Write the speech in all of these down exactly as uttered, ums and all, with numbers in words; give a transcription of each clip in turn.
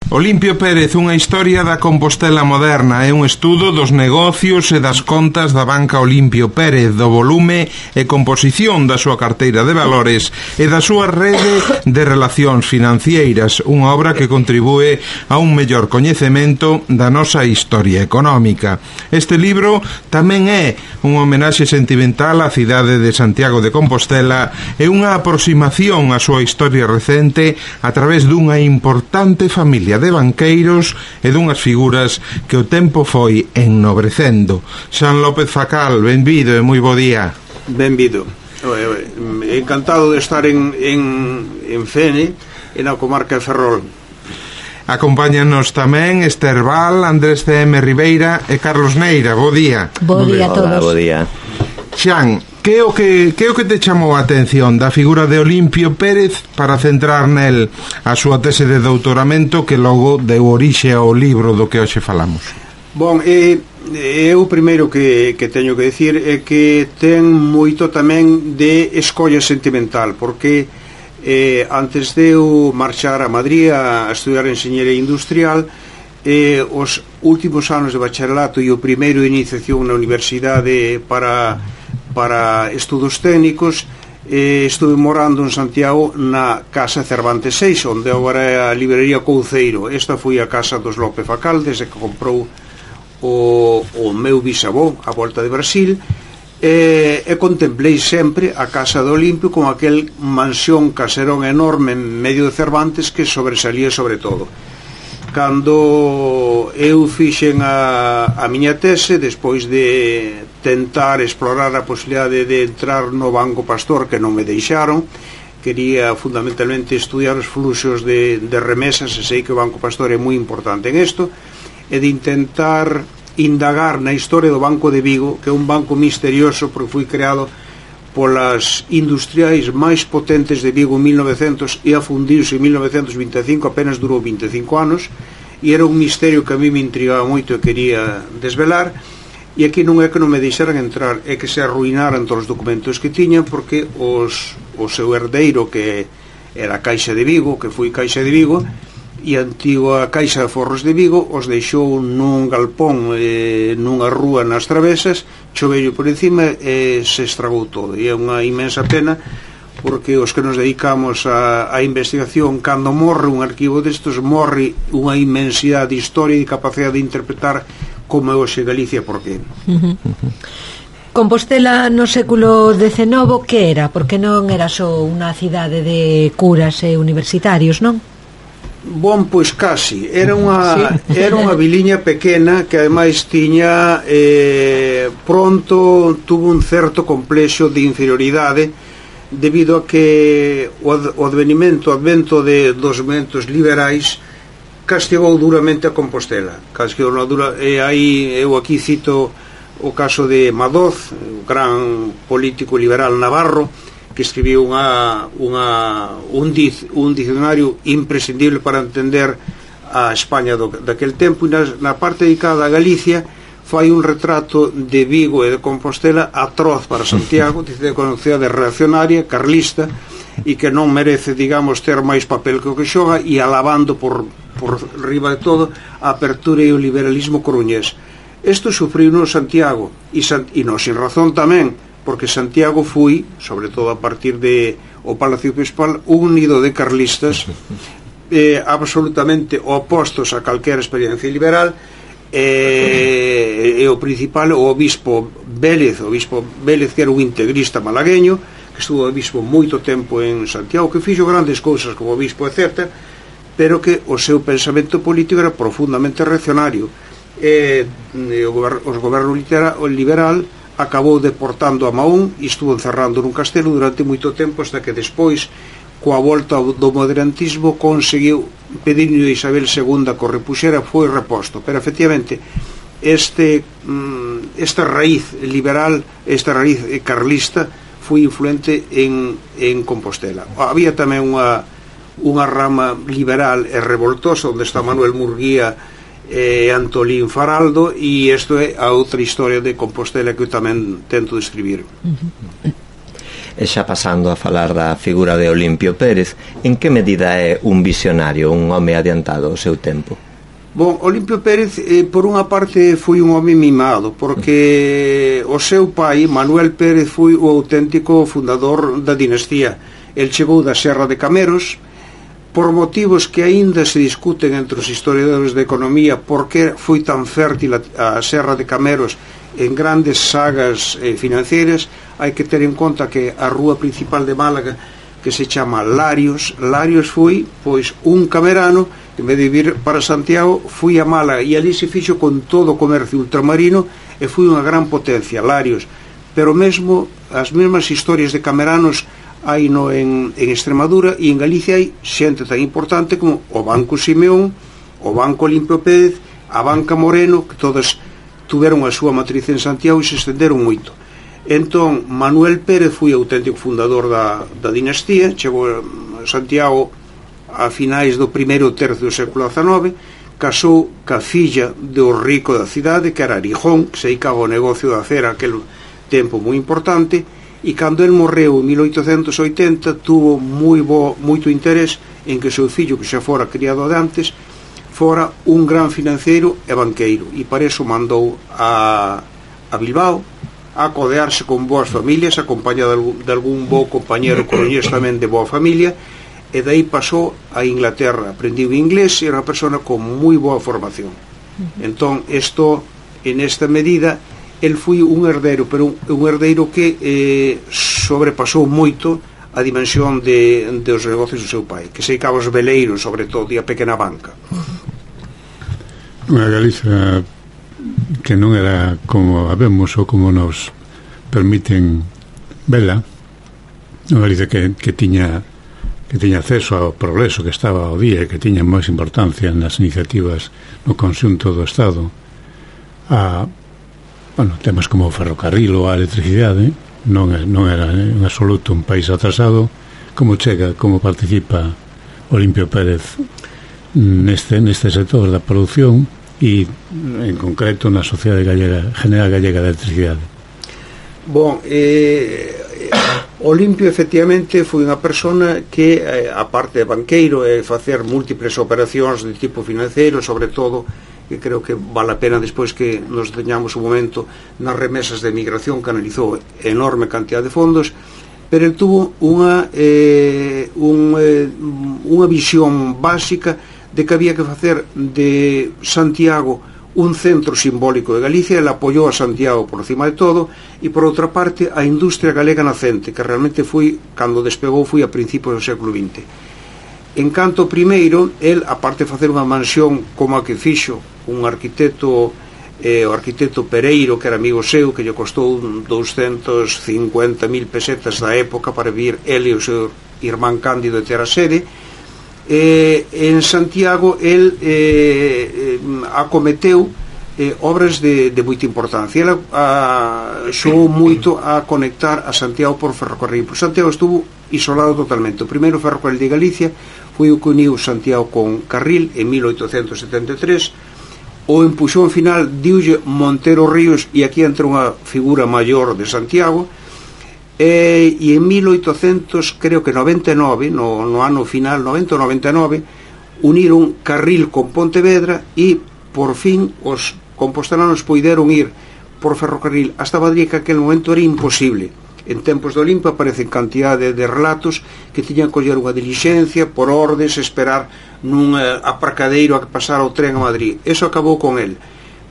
Olimpio Pérez, unha historia da Compostela moderna, é un estudo dos negocios e das contas da banca Olimpio Pérez, do volume e composición da súa carteira de valores e da súa rede de relacións financeiras, unha obra que contribúe a un mellor coñecemento da nosa historia económica. Este libro tamén é unha homenaxe sentimental á cidade de Santiago de Compostela e unha aproximación á súa historia recente a través dunha importante familia de banqueiros e dunhas figuras que o tempo foi ennobrecendo. Xan López Facal, benvido e moi bo día. Benvido. Encantado de estar en, en, en Fene, en a comarca de Ferrol. Acompáñanos tamén Esther Val, Andrés C M Ribeira e Carlos Neira. Bo día. Bo día a todos. Hola, bo día. Xan, que o que, que o que te chamou a atención da figura de Olimpio Pérez para centrar nel a súa tese de doutoramento que logo deu orixe ao libro do que hoxe falamos? Bon, e, e o primeiro que, que teño que decir é que ten moito tamén de escolla sentimental, porque eh, antes de eu marchar a Madrid a estudiar enxeñería industrial, eh, os últimos anos de bacharelato e o primeiro de iniciación na universidade para para estudos técnicos, eh, estuve morando en Santiago na Casa Cervantes seis, onde agora é a librería Couceiro. Esta foi a casa dos López Facal desde que comprou o, o meu bisavó a volta de Brasil, e, e contemplei sempre a Casa do Olimpio con aquel mansión caserón enorme en medio de Cervantes que sobresalía sobre todo. Cando eu fixen a, a miña tese, despois de tentar explorar a posibilidade de entrar no Banco Pastor, que non me deixaron, quería fundamentalmente estudiar os fluxos de, de remesas, e sei que o Banco Pastor é moi importante en isto, e de intentar indagar na historia do Banco de Vigo, que é un banco misterioso porque foi creado polas industriais máis potentes de Vigo en mil novecentos e afundiuse en mil novecentos e vinte e cinco, apenas durou vinte e cinco anos, e era un misterio que a mí me intrigaba moito e quería desvelar. E aquí non é que non me deixaran entrar, é que se arruinaran todos os documentos que tiñan, porque os, o seu herdeiro, que era a Caixa de Vigo, que foi Caixa de Vigo, e a antigua Caixa de Forros de Vigo, os deixou nun galpón, eh, nunha rúa nas travesas, chovello por encima e se estragou todo. E é unha inmensa pena, porque os que nos dedicamos a, a investigación, cando morre un arquivo destes, morre unha inmensidade de historia e de capacidade de interpretar como é hoxe Galicia. Por qué? Uh-huh. Compostela no século decenove que era? Porque non era só unha cidade de curas e universitarios, non? Bon, pois casi. Era unha, sí. Era unha viliña pequena que ademais tiña eh, pronto tuvo un certo complexo de inferioridade debido a que o, o advenimento, o advento de, dos movimentos liberais castigou duramente a Compostela. Castigou na dura, e aí eu aquí cito o caso de Madoz, o gran político liberal navarro, que escribiu unha, unha, un, dic, un diccionario imprescindible para entender a España do, daquel tempo, e na, na parte dedicada a Galicia fai un retrato de Vigo e de Compostela atroz para Santiago, dice que é unha cidade reaccionaria, carlista, e que non merece, digamos, ter máis papel que o que xoga, e alabando por, por riba de todo a apertura e o liberalismo coruñés. Isto sufriu no Santiago, e, San, e non sin razón tamén, porque Santiago foi, sobre todo a partir de o Palacio Episcopal, un nido de carlistas eh, absolutamente opostos a calquera experiencia liberal, e, e o principal, o obispo Vélez, o obispo Vélez, que era un integrista malagueño, que estuvo obispo moito tempo en Santiago, que fixo grandes cousas como obispo, etcétera, pero que o seu pensamento político era profundamente reaccionario. E, e o, gober, o goberno liberal acabou deportando a Mahón e estuvo encerrando nun castelo durante moito tempo, hasta que despois, coa volta do moderantismo, conseguiu pedirle a Isabel segunda que o repuxera, foi reposto. Pero efectivamente este, esta raíz liberal, esta raíz carlista foi influente en, en Compostela. Había tamén unha, unha rama liberal e revoltosa, onde está Manuel Murguía e Antolín Faraldo, e isto é a outra historia de Compostela que eu tamén tento describir. E xa pasando a falar da figura de Olimpio Pérez, en que medida é un visionario, un home adiantado ao seu tempo? Bon, Olimpio Pérez, eh, por unha parte, foi un home mimado, porque o seu pai, Manuel Pérez, foi o auténtico fundador da dinastía. El chegou da Serra de Cameros, por motivos que aínda se discuten entre os historiadores de economía, porque foi tan fértil a, a Serra de Cameros en grandes sagas eh, financeiras. Hai que ter en conta que a rúa principal de Málaga, que se chama Larios, Larios foi, pois, un camerano que, en vez de vir para Santiago, foi a Málaga, e ali se fixo con todo o comercio ultramarino, e foi unha gran potencia, Larios. Pero mesmo, as mesmas historias de cameranos hai no en, en Extremadura, e en Galicia hai xente tan importante como o Banco Simeón, o Banco Olimpio Pérez, a Banca Moreno, que todas tuveron a súa matriz en Santiago e se estenderon moito. Entón, Manuel Pérez foi o auténtico fundador da, da dinastía, chegou a Santiago a finais do primeiro tercio do século dezenove, casou ca filla do rico da cidade, que era Arijón, que se dedicaba ao negocio da cera aquel tempo moi importante, e cando el morreu en mil oitocentos oitenta tuvo moi bo, moito interés en que o seu fillo, que xa fora criado de antes, fora un gran financeiro e banqueiro, e para iso mandou a, a Bilbao a codearse con boas familias, acompañado de algún, de algún bo compañero coroñés tamén de boa familia, e dai pasou a Inglaterra, aprendiu inglés e era unha persona con moi boa formación. Entón, isto, en esta medida, el foi un herdeiro, pero un, un herdeiro que eh, sobrepasou moito a dimensión de, de os negocios do seu pai, que se dedicaba aos veleiros, sobre todo, e a pequena banca. Unha Galiza que non era como a vemos ou como nos permiten vela, unha Galiza que, que tiña que tiña acceso ao progreso, que estaba ao día e que tiña máis importancia nas iniciativas no conxunto do Estado, a, bueno, temas como o ferrocarril ou a electricidade. Non, non era en absoluto un país atrasado. Como chega, como participa Olimpio Pérez neste, neste sector da produción e en concreto na Sociedade Gallega, General Gallega de Electricidade? Bon, eh, Olimpio efectivamente foi unha persona que, eh, a parte de banqueiro, e eh, facer múltiples operacións de tipo financeiro, sobre todo, que creo que vale a pena despois que nos deteñamos un momento nas remesas de migración, canalizou enorme cantidad de fondos, pero el tuvo unha eh, un, eh, unha visión básica de que había que facer de Santiago un centro simbólico de Galicia. Ele apoiou a Santiago por cima de todo, e por outra parte a industria galega nacente, que realmente foi, cando despegou, foi a principios do século vinte. En canto primeiro, el, aparte de facer unha mansión como a que fixo un arquitecto, eh, o arquitecto Pereiro, que era amigo seu, que lle costou doscientos cincuenta mil pesetas da época para vir ele e o seu irmán Cándido de ter a sede, eh, en Santiago el eh, eh, acometeu eh, obras de, de moita importancia. Ele xogou moito a conectar a Santiago por ferrocarril. Por Santiago estuvo isolado totalmente. O primeiro ferrocarril de Galicia foi o que uniu Santiago con Carril en mil oitocentos setenta e tres. O empuxón final diulle Montero Ríos, e aquí entra unha figura maior de Santiago. E, e en mil oitocentos, creo que noventa e nove, no, no ano final, noventa ou noventa e nove, uniron Carril con Pontevedra, e por fin os compostelanos poideron ir por ferrocarril hasta Madrid, que aquel momento era imposible. En tempos de Olimpio aparecen cantidade de relatos que tiñan que coller unha dilixencia por ordes, esperar nun eh, aparcadeiro a que pasara o tren a Madrid. Eso acabou con el.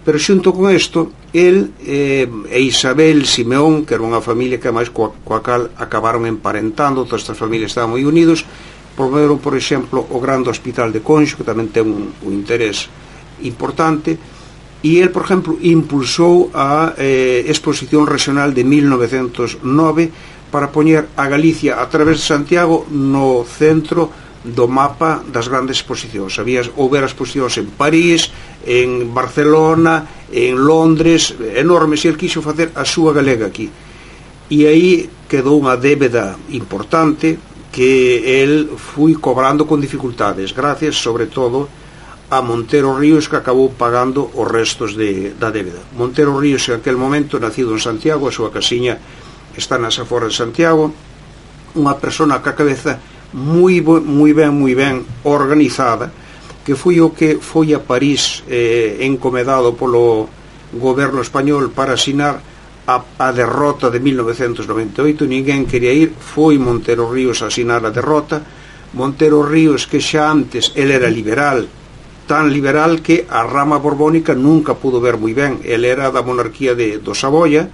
Pero xunto con isto, el eh, e Isabel Simeón, que era unha familia que máis coa, coa cal acabaron emparentando, todas estas familias estaban moi unidos, promoveron, por exemplo, o grande hospital de Conxo, que tamén ten un, un interés importante, e el, por exemplo, impulsou a eh, exposición regional de mil novecentos nove para poñer a Galicia a través de Santiago no centro do mapa das grandes exposicións. Había, houbera exposicións en París, en Barcelona, en Londres, enormes, e el quixo facer a súa galega aquí. E aí quedou unha débeda importante que el foi cobrando con dificultades, gracias, sobre todo, a Montero Ríos, que acabou pagando os restos de, da débeda. Montero Ríos, en aquel momento, nacido en Santiago, a súa casiña está nas aforas de Santiago, unha persona ca cabeza moi, moi ben, moi ben organizada, que foi o que foi a París eh, encomedado polo goberno español para asinar a, a derrota de mil novecentos noventa e oito. Ninguén quería ir, foi Montero Ríos a asinar a derrota. Montero Ríos, que xa antes ele era liberal, tan liberal que a rama borbónica nunca pudo ver moi ben. Ele era da monarquía de, do Saboya,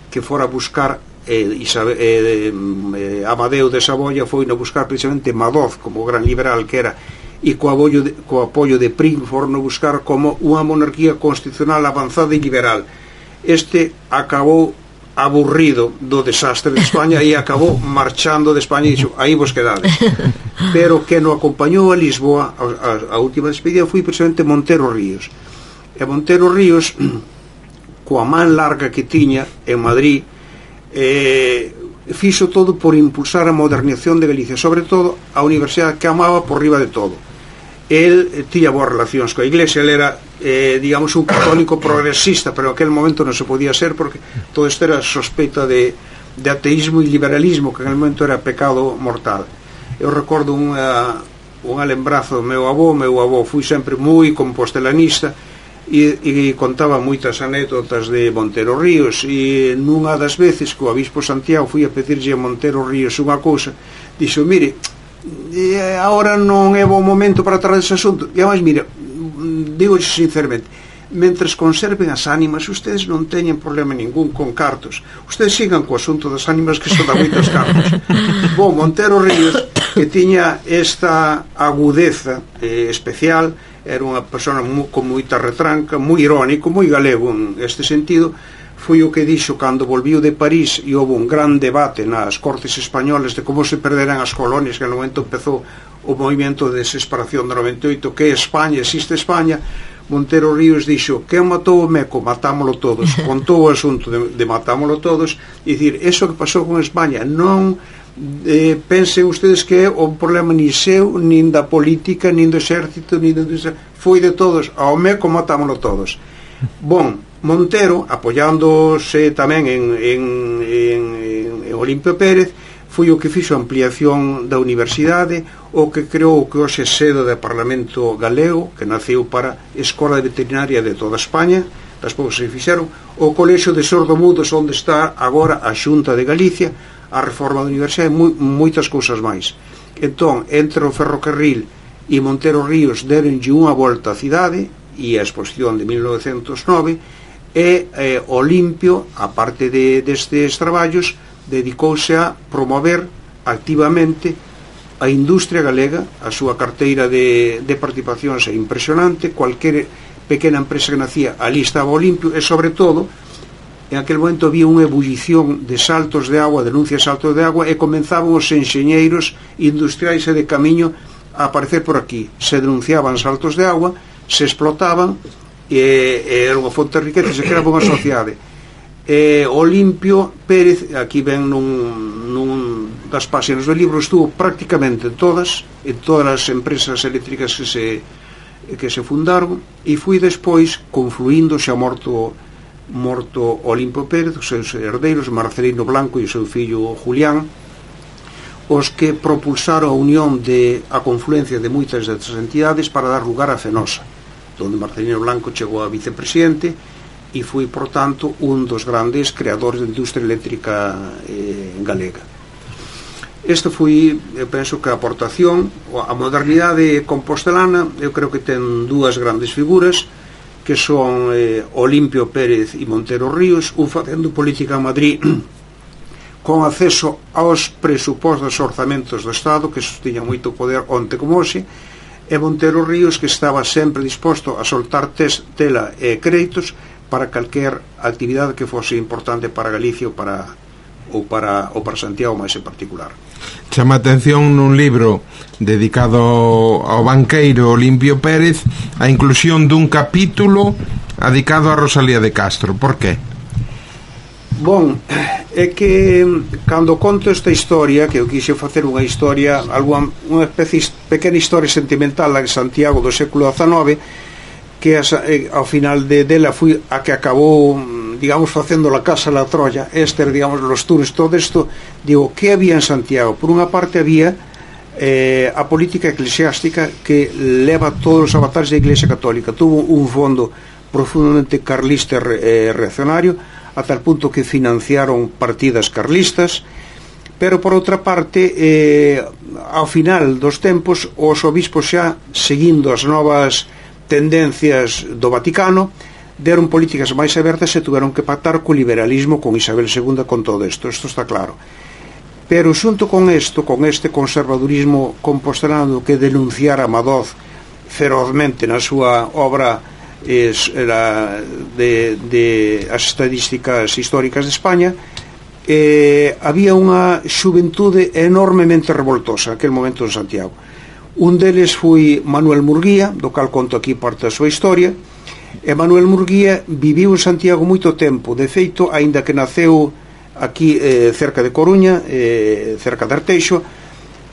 que fora a buscar eh, Isabe, eh, eh, Amadeo de Saboya foi a buscar precisamente Madoz como gran liberal que era, e co apoio de, co apoio de Prim foron a buscar como unha monarquía constitucional avanzada e liberal. Este acabou aburrido do desastre de España e acabou marchando de España e dixo, aí vos quedades. Pero que no acompañou a Lisboa a, a, a última despedida foi precisamente Montero Ríos. E Montero Ríos, coa man larga que tiña en Madrid, eh, fixo todo por impulsar a modernización de Galicia, sobre todo a universidade que amaba por riba de todo. El eh, tiña boas relacións coa Iglesia, el era eh, digamos un católico progresista, pero en aquel momento non se podía ser porque todo isto era sospeita de, de ateísmo e liberalismo, que en aquel momento era pecado mortal. Eu recordo unha, unha lembrazo do meu avó. Meu avó foi sempre moi compostelanista e, e contaba moitas anécdotas de Montero Ríos, e nunha das veces que o obispo Santiago foi a pedirlle a Montero Ríos unha cousa, dixo, mire, agora non é bo momento para tratar dese asunto, e además, mire, digo sinceramente, mentres conserven as ánimas, ustedes non teñen problema ningún con cartos, ustedes sigan co asunto das ánimas, que son da moitos cartos. Bom, Montero Ríos, que tiña esta agudeza eh, especial, era unha persona mu, con moita retranca, moi irónico, moi galego en este sentido. Foi o que dixo cando volviu de París e houve un gran debate nas cortes españolas de como se perderan as colonias, que no momento empezou o movimento de desesperación de noventa e oito, que é España, existe España. Montero Ríos dixo, que matou o Meco, matámolo todos. Contou o asunto de, de matámolo todos, e dicir, eso que pasou con España non eh, pensen ustedes que é o problema nin seu, nin da política, nin do exército, nin do... foi de todos, ao Meco matámolo todos. Bon, Montero, apoiándose tamén en, en, en, en Olimpio Pérez, foi o que fixo a ampliación da universidade, o que creou o que hoxe é sede do Parlamento Galego, que naceu para Escola de Veterinaria de toda España, despois se fixeron o Colexio de Sordomudos, onde está agora a Xunta de Galicia, a reforma da universidade, moi, moitas cousas máis. Entón, entre o ferrocarril e Montero Ríos deronlle unha volta á cidade, e a exposición de mil novecentos nove, e eh, Olimpio, a parte de, destes traballos, dedicouse a promover activamente a industria galega. A súa carteira de, de participacións é impresionante, cualquier pequena empresa que nacía ali estaba Olimpio, e sobre todo en aquel momento había unha ebullición de saltos de agua, denuncias de saltos de agua, e comenzaban os enxeñeiros industriais e de camiño a aparecer por aquí. Se denunciaban saltos de agua, se explotaban, e, e era unha fonte de riqueza, se creaba unha sociedade. E Olimpio Pérez, aquí ven nun, nun das páxinas do libro, estuvo prácticamente en todas, en todas as empresas eléctricas que se, que se fundaron, e foi despois confluindo, xa morto morto Olimpio Pérez, os seus herdeiros Marcelino Blanco e o seu fillo Julián, os que propulsaron a unión de a confluencia de moitas destas entidades para dar lugar a Fenosa, donde Marcelino Blanco chegou a vicepresidente e foi, por tanto, un dos grandes creadores de industria eléctrica eh, galega. Este foi, eu penso que a aportación a modernidade compostelana. Eu creo que ten dúas grandes figuras, que son eh, Olimpio Pérez e Montero Ríos, un facendo política en Madrid con acceso aos presupostos orzamentos do Estado, que tiña moito poder onte como hoxe, e Montero Ríos, que estaba sempre disposto a soltar tes, tela e créditos para calquer actividade que fose importante para Galicia ou para, ou para, ou para Santiago máis en particular. Chama atención nun libro dedicado ao banqueiro Olimpio Pérez a inclusión dun capítulo dedicado a Rosalía de Castro. Por qué? Bon, é que cando conto esta historia, que eu quise facer unha historia, alguna, unha especie pequena historia sentimental de Santiago do século dezanove, que as, eh, ao final de dela foi a que acabou, digamos, facendo la casa a la Troya, este, digamos, los tours, todo esto, digo, ¿qué había en Santiago? Por unha parte había eh, a política eclesiástica que leva todos os avatares da Iglesia Católica. Tuvo un fondo profundamente carlista e eh, reaccionario, a tal punto que financiaron partidas carlistas, pero por outra parte, eh, ao final dos tempos, os obispos xa, seguindo as novas tendencias do Vaticano, deron políticas máis abertas e tuveron que pactar co liberalismo, con Isabel segunda, con todo isto, isto está claro. Pero xunto con isto, con este conservadurismo compostelano que denunciara Madoz ferozmente na súa obra es, la, de, de as estadísticas históricas de España, eh, había unha xuventude enormemente revoltosa aquel momento en Santiago. Un deles foi Manuel Murguía, do cal conto aquí parte da súa historia. E Manuel Murguía viviu en Santiago moito tempo. De feito, aínda que naceu aquí eh, cerca de Coruña, eh, cerca de Arteixo,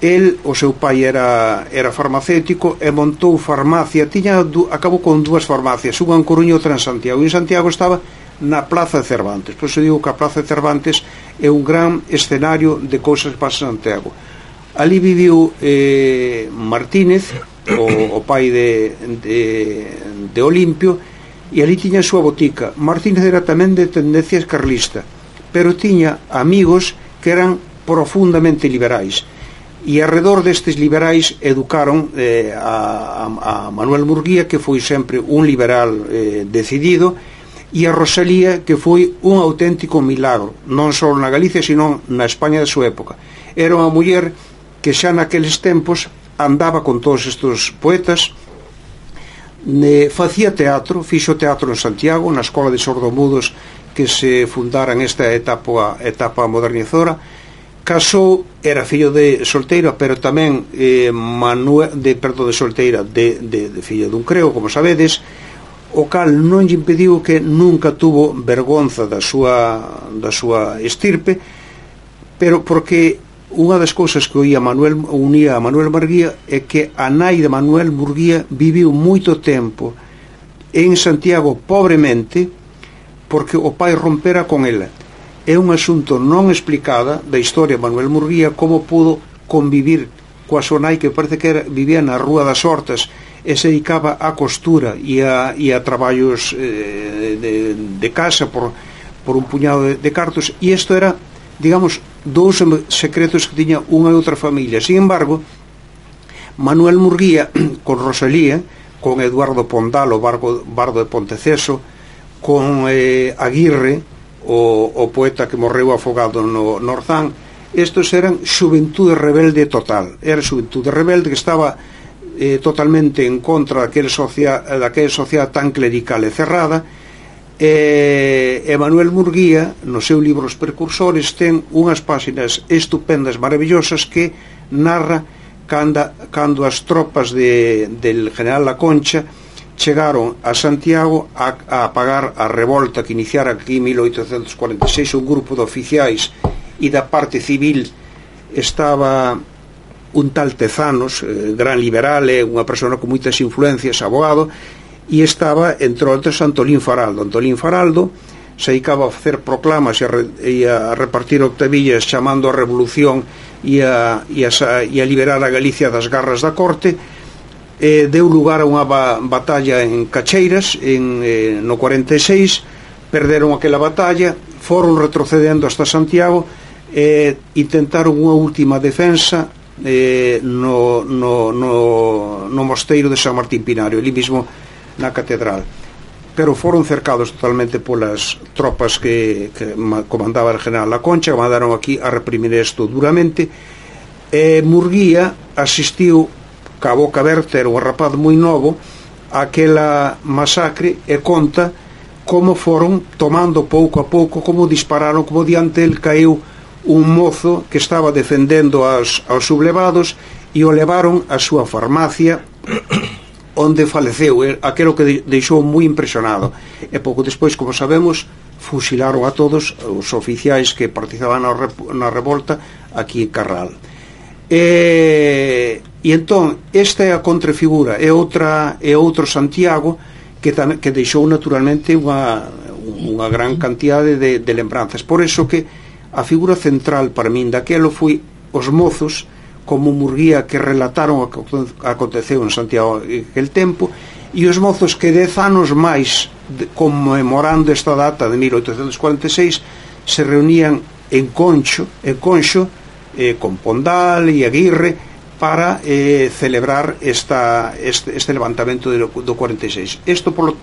el, o seu pai era, era farmacéutico e montou farmacia. Tiña, acabou con dúas farmacias, unha en Coruña e outra en Santiago. E en Santiago estaba na Plaza de Cervantes. Por iso digo que a Plaza de Cervantes é un gran escenario de cousas que pasan en Santiago. Ali viviu eh, Martínez, o, o pai de, de, de Olimpio, e ali tiña a súa botica. Martínez era tamén de tendencias carlista, pero tiña amigos que eran profundamente liberais, e arredor destes liberais educaron eh, a, a Manuel Murguía, que foi sempre un liberal eh, decidido, e a Rosalía, que foi un auténtico milagro, non só na Galicia, sino na España da súa época. Era unha muller que xa naqueles tempos andaba con todos estes poetas, ne, facía teatro, fixo teatro en Santiago, na Escola de Sordomudos que se fundara en esta etapa, etapa modernizadora. Casou, era fillo de solteira, pero tamén eh, Manuel, de, perdón, de solteira, de, de, de fillo dun creo, como sabedes, o cal non lle impediu que nunca tuvo vergonza da súa, da súa estirpe, pero porque unha das cousas que oía Manuel, unía a Manuel Murguía é que a nai de Manuel Murguía viviu moito tempo en Santiago pobremente porque o pai rompera con ela. É un asunto non explicada da historia de Manuel Murguía, como pudo convivir coa súa nai, que parece que era, vivía na Rúa das Hortas e se dedicaba á costura e a, e a traballos eh, de, de casa por, por un puñado de, de cartos, e isto era, digamos, dous secretos que tiña unha e outra familia. Sin embargo, Manuel Murguía con Rosalía, con Eduardo Pondal, o barco, bardo de Ponteceso, con eh, Aguirre, o, o poeta que morreu afogado no, no Orzán, estos eran xuventude rebelde total. Era xuventude rebelde que estaba eh, totalmente en contra daquela sociedade, daquela sociedade tan clerical e cerrada. E Manuel Murguía, no seu libro Os Precursores, ten unhas páxinas estupendas, maravillosas, que narra cando, cando as tropas de, del general La Concha chegaron a Santiago a, a apagar a revolta que iniciara aquí en mil oitocentos cuarenta e seis. Un grupo de oficiais e da parte civil estaba un tal Tezanos, eh, gran liberal, eh, unha persona con moitas influencias, abogado, e estaba, entre outros, Antolín Faraldo. Antolín Faraldo se dedicaba a facer proclamas e a, re, e a repartir octavillas chamando a revolución e a, e, a, e a liberar a Galicia das garras da corte. Eh, deu lugar a unha ba, batalla en Cacheiras en, eh, no cuarenta e seis. Perderon aquela batalla, foron retrocedendo hasta Santiago e eh, intentaron unha última defensa eh, no, no, no, no mosteiro de San Martín Pinario, ali mesmo na catedral, pero foron cercados totalmente polas tropas que, que comandaba el general La Concha, que mandaron aquí a reprimir isto duramente. E Murguía asistiu ca boca aberta, era un rapaz moi novo, a aquela masacre, e conta como foron tomando pouco a pouco, como dispararon, como diante el caeu un mozo que estaba defendendo aos, aos sublevados, e o levaron a súa farmacia onde faleceu, aquelo que deixou moi impresionado. E pouco despois, como sabemos, fusilaron a todos os oficiais que participaban na revolta aquí en Carral. E, e entón, esta é a contrafigura, é outra é outro Santiago que, tam, que deixou naturalmente unha, unha gran cantidade de, de lembranzas. Por eso que a figura central para min daquelo foi os mozos como Murguía que relataron o que aconteceu en Santiago en aquel tempo, e os mozos que dez anos máis de, conmemorando esta data de mil oitocentos cuarenta e seis se reunían en Concho, en Conxo eh, con Pondal e Aguirre para eh, celebrar esta, este, este levantamento do, do cuarenta e seis. Isto, por lo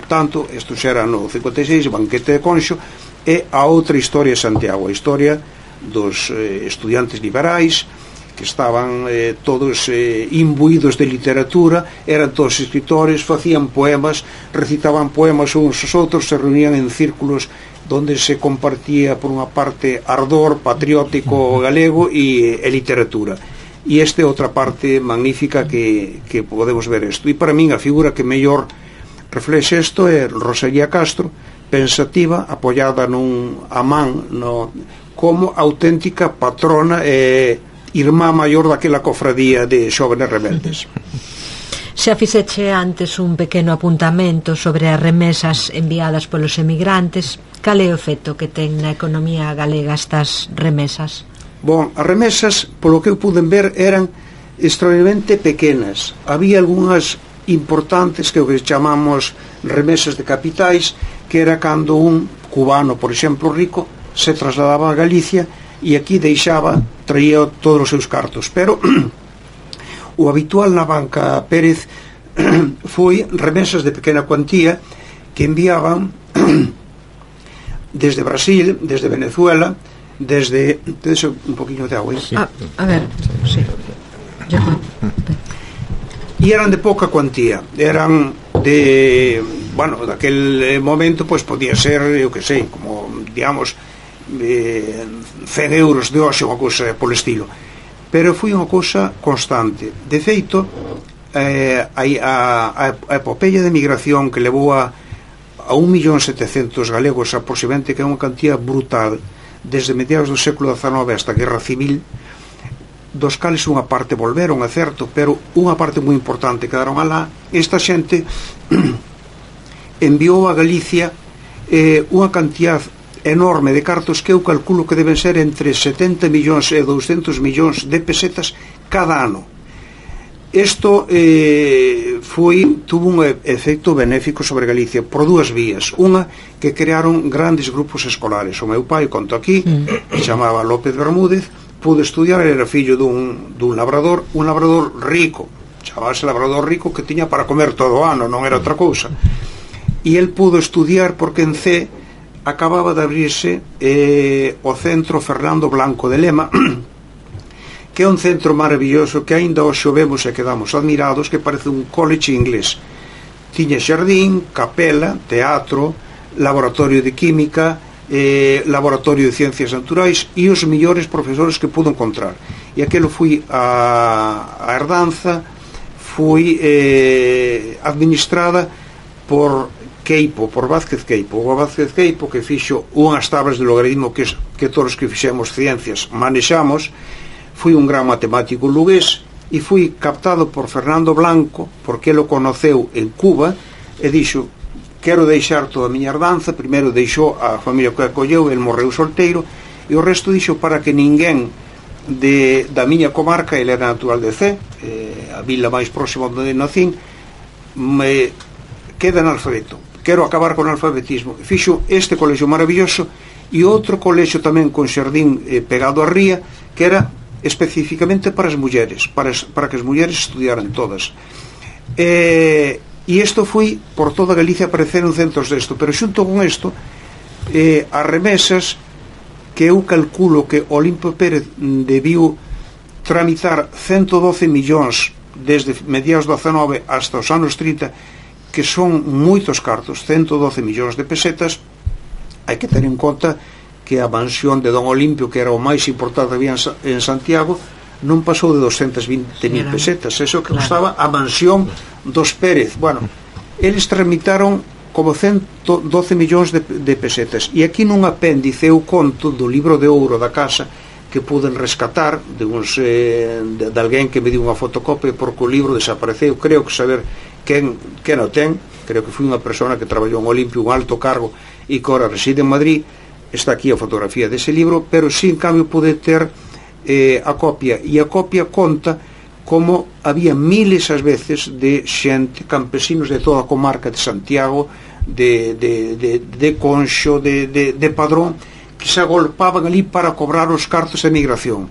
tanto, isto xa era no cincuenta e seis, banquete de Conxo, e a outra historia de Santiago, a historia dos eh, estudiantes liberais que estaban eh, todos eh, imbuídos de literatura, eran todos escritores, facían poemas, recitaban poemas uns aos outros, se reunían en círculos donde se compartía por unha parte ardor patriótico galego e, e literatura. E esta é outra parte magnífica que, que podemos ver isto. E para min a figura que mellor reflexe isto é Rosalía Castro, pensativa, apoiada nun a man no, como auténtica patrona e irmá maior daquela cofradía de xóvenes rebeldes. Xa fixeche antes un pequeno apuntamento sobre as remesas enviadas polos emigrantes. Cal é o efecto que ten na economía galega estas remesas? Bon, as remesas, polo que eu puden ver, eran extraordinariamente pequenas. Había algunhas importantes que o que chamamos remesas de capitais, que era cando un cubano, por exemplo, rico, se trasladaba a Galicia e aquí deixaba, traía todos os seus cartos. Pero o habitual na banca Pérez foi remesas de pequena cuantía que enviaban desde Brasil, desde Venezuela, desde... Tedes un poquinho de agua, ¿eh? Sí. Ah, a ver, sí. E eran de pouca cuantía, eran de... Bueno, daquel momento, pois podía ser, eu que sei, como, digamos, eh, cen euros de hoxe, unha cousa polo estilo. Pero foi unha cousa constante. De feito, eh, a, a, a epopeia de migración que levou a, a un millón setecentos galegos aproximadamente, que é unha cantidad brutal, desde mediados do século dezanove hasta a Guerra Civil, dos cales unha parte volveron, é certo, pero unha parte moi importante quedaron alá. Esta xente enviou a Galicia eh, unha cantidad enorme de cartos que eu calculo que deben ser entre setenta millóns e douscentos millóns de pesetas cada ano. Isto eh, foi, tuvo un efecto benéfico sobre Galicia por dúas vías. Unha, que crearon grandes grupos escolares. O meu pai, conto aquí, que chamaba López Bermúdez, pudo estudiar, era fillo dun, dun labrador, un labrador rico, chamase labrador rico, que tiña para comer todo o ano, non era outra cousa. E el pudo estudiar porque en C acababa de abrirse eh, o Centro Fernando Blanco de Lema, que é un centro maravilloso que aínda hoxe o vemos e quedamos admirados, que parece un college inglés. Tiña xardín, capela, teatro, laboratorio de química, eh, laboratorio de ciencias naturais e os mellores profesores que pudo encontrar. E aquelo foi a, a herdanza, foi eh, administrada por Queipo, por Vázquez Queipo. O Vázquez Queipo, que fixo unhas tablas de logaritmo que, que todos que fixemos ciencias manexamos, foi un gran matemático lugués e foi captado por Fernando Blanco porque ele o conoceu en Cuba e dixo: quero deixar toda a miña herdanza. Primeiro deixou a familia que acolleu, el morreu solteiro, e o resto dixo para que ninguén de, da miña comarca, ele era natural de Cee, eh, a vila máis próxima onde nacín, me queda analfabeto, quero acabar con o alfabetismo. Fixo este colexio maravilloso e outro colexio tamén con xardín eh, pegado á ría, que era especificamente para as mulleres, para, as, para que as mulleres estudiaran todas. E, e isto foi por toda Galicia, apareceron centros desto, pero xunto con isto, eh, as remesas que eu calculo que Olimpio Pérez debiu tramitar ciento doce millóns desde mediados do dezanove hasta os anos trinta, que son moitos cartos, ciento doce millóns de pesetas. Hai que ter en conta que a mansión de Don Olimpio, que era o máis importante que había en Santiago, non pasou de doscientas vinte mil pesetas. Eso que costaba a mansión dos Pérez. Bueno, eles tramitaron como ciento doce millóns de, de pesetas. E aquí nun apéndice eu conto do libro de ouro da casa que puden rescatar de, uns, eh, de, de alguén que me dio unha fotocopia porque o libro desapareceu. Creo que saber quen, quen o ten, creo que foi unha persona que traballou en Olimpio, un alto cargo, e que ahora reside en Madrid. Está aquí a fotografía dese libro, pero sí, en cambio, pude ter eh, a copia, e a copia conta como había miles ás veces de xente, campesinos de toda a comarca de Santiago, de, de, de, de Conxo, de, de, de Padrón, que se agolpaban ali para cobrar os cartos de emigración.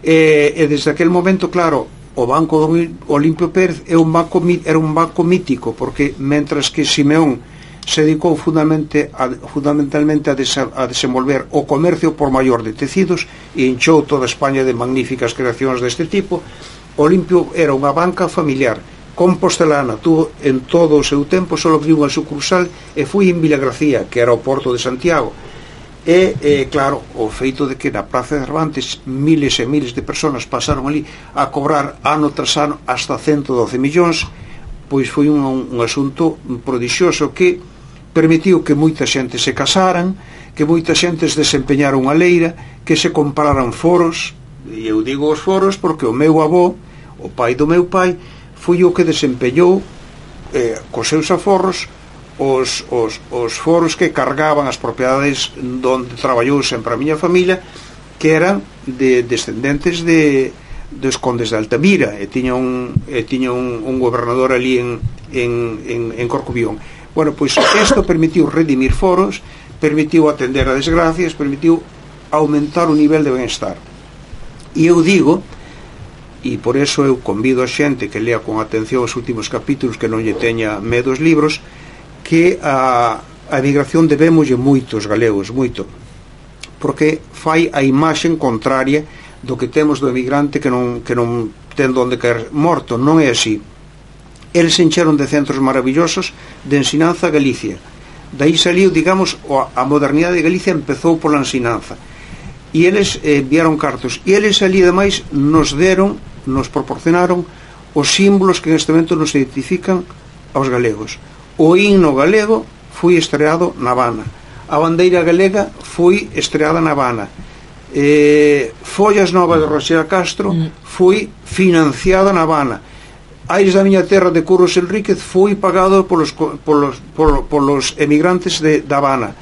E, e desde aquel momento, claro, o Banco Olimpio Pérez é un banco, era un banco mítico, porque mentras que Simeón se dedicou fundamentalmente a, fundamentalmente a, desa, a desenvolver o comercio por maior de tecidos e enchou toda España de magníficas creacións deste tipo, Olimpio era unha banca familiar compostelana. Tuvo en todo o seu tempo só abriu unha sucursal e foi en Vilagracía, que era o porto de Santiago. E, e claro, o feito de que na Praza de Cervantes miles e miles de personas pasaron ali a cobrar ano tras ano hasta ciento doce millóns, pois foi un, un asunto prodixioso que permitiu que moita xente se casaran, que moita xente se desempeñara unha leira, que se compraran foros. E eu digo os foros porque o meu avó, o pai do meu pai, foi o que desempeñou eh, cos seus aforros os, os, os foros que cargaban as propiedades donde traballou sempre a miña familia, que eran de descendentes de dos condes de Altamira, e tiña un, e tiña un, un gobernador ali en, en, en, en Corcubión. Bueno, pois isto permitiu redimir foros, permitiu atender a desgracias, permitiu aumentar o nivel de benestar. E eu digo, e por eso eu convido a xente que lea con atención os últimos capítulos, que non lle teña medo os libros, que a, a emigración debémoslle moitos galegos, moito, porque fai a imaxen contraria do que temos do emigrante que non, que non ten donde caer morto. Non é así. Eles se encheron de centros maravillosos de ensinanza a Galicia. Daí saliu, digamos, a modernidade de Galicia empezou pola ensinanza. E eles eh, enviaron cartos, e eles ali ademais nos deron, nos proporcionaron os símbolos que neste momento nos identifican aos galegos. O himno galego foi estreado na Habana, a bandeira galega foi estreada na Habana, eh, Follas Novas de Roxera Castro foi financiada na Habana, Aires da miña terra de Curros Enríquez foi pagado polos, polos, polos, polos emigrantes de, da Habana.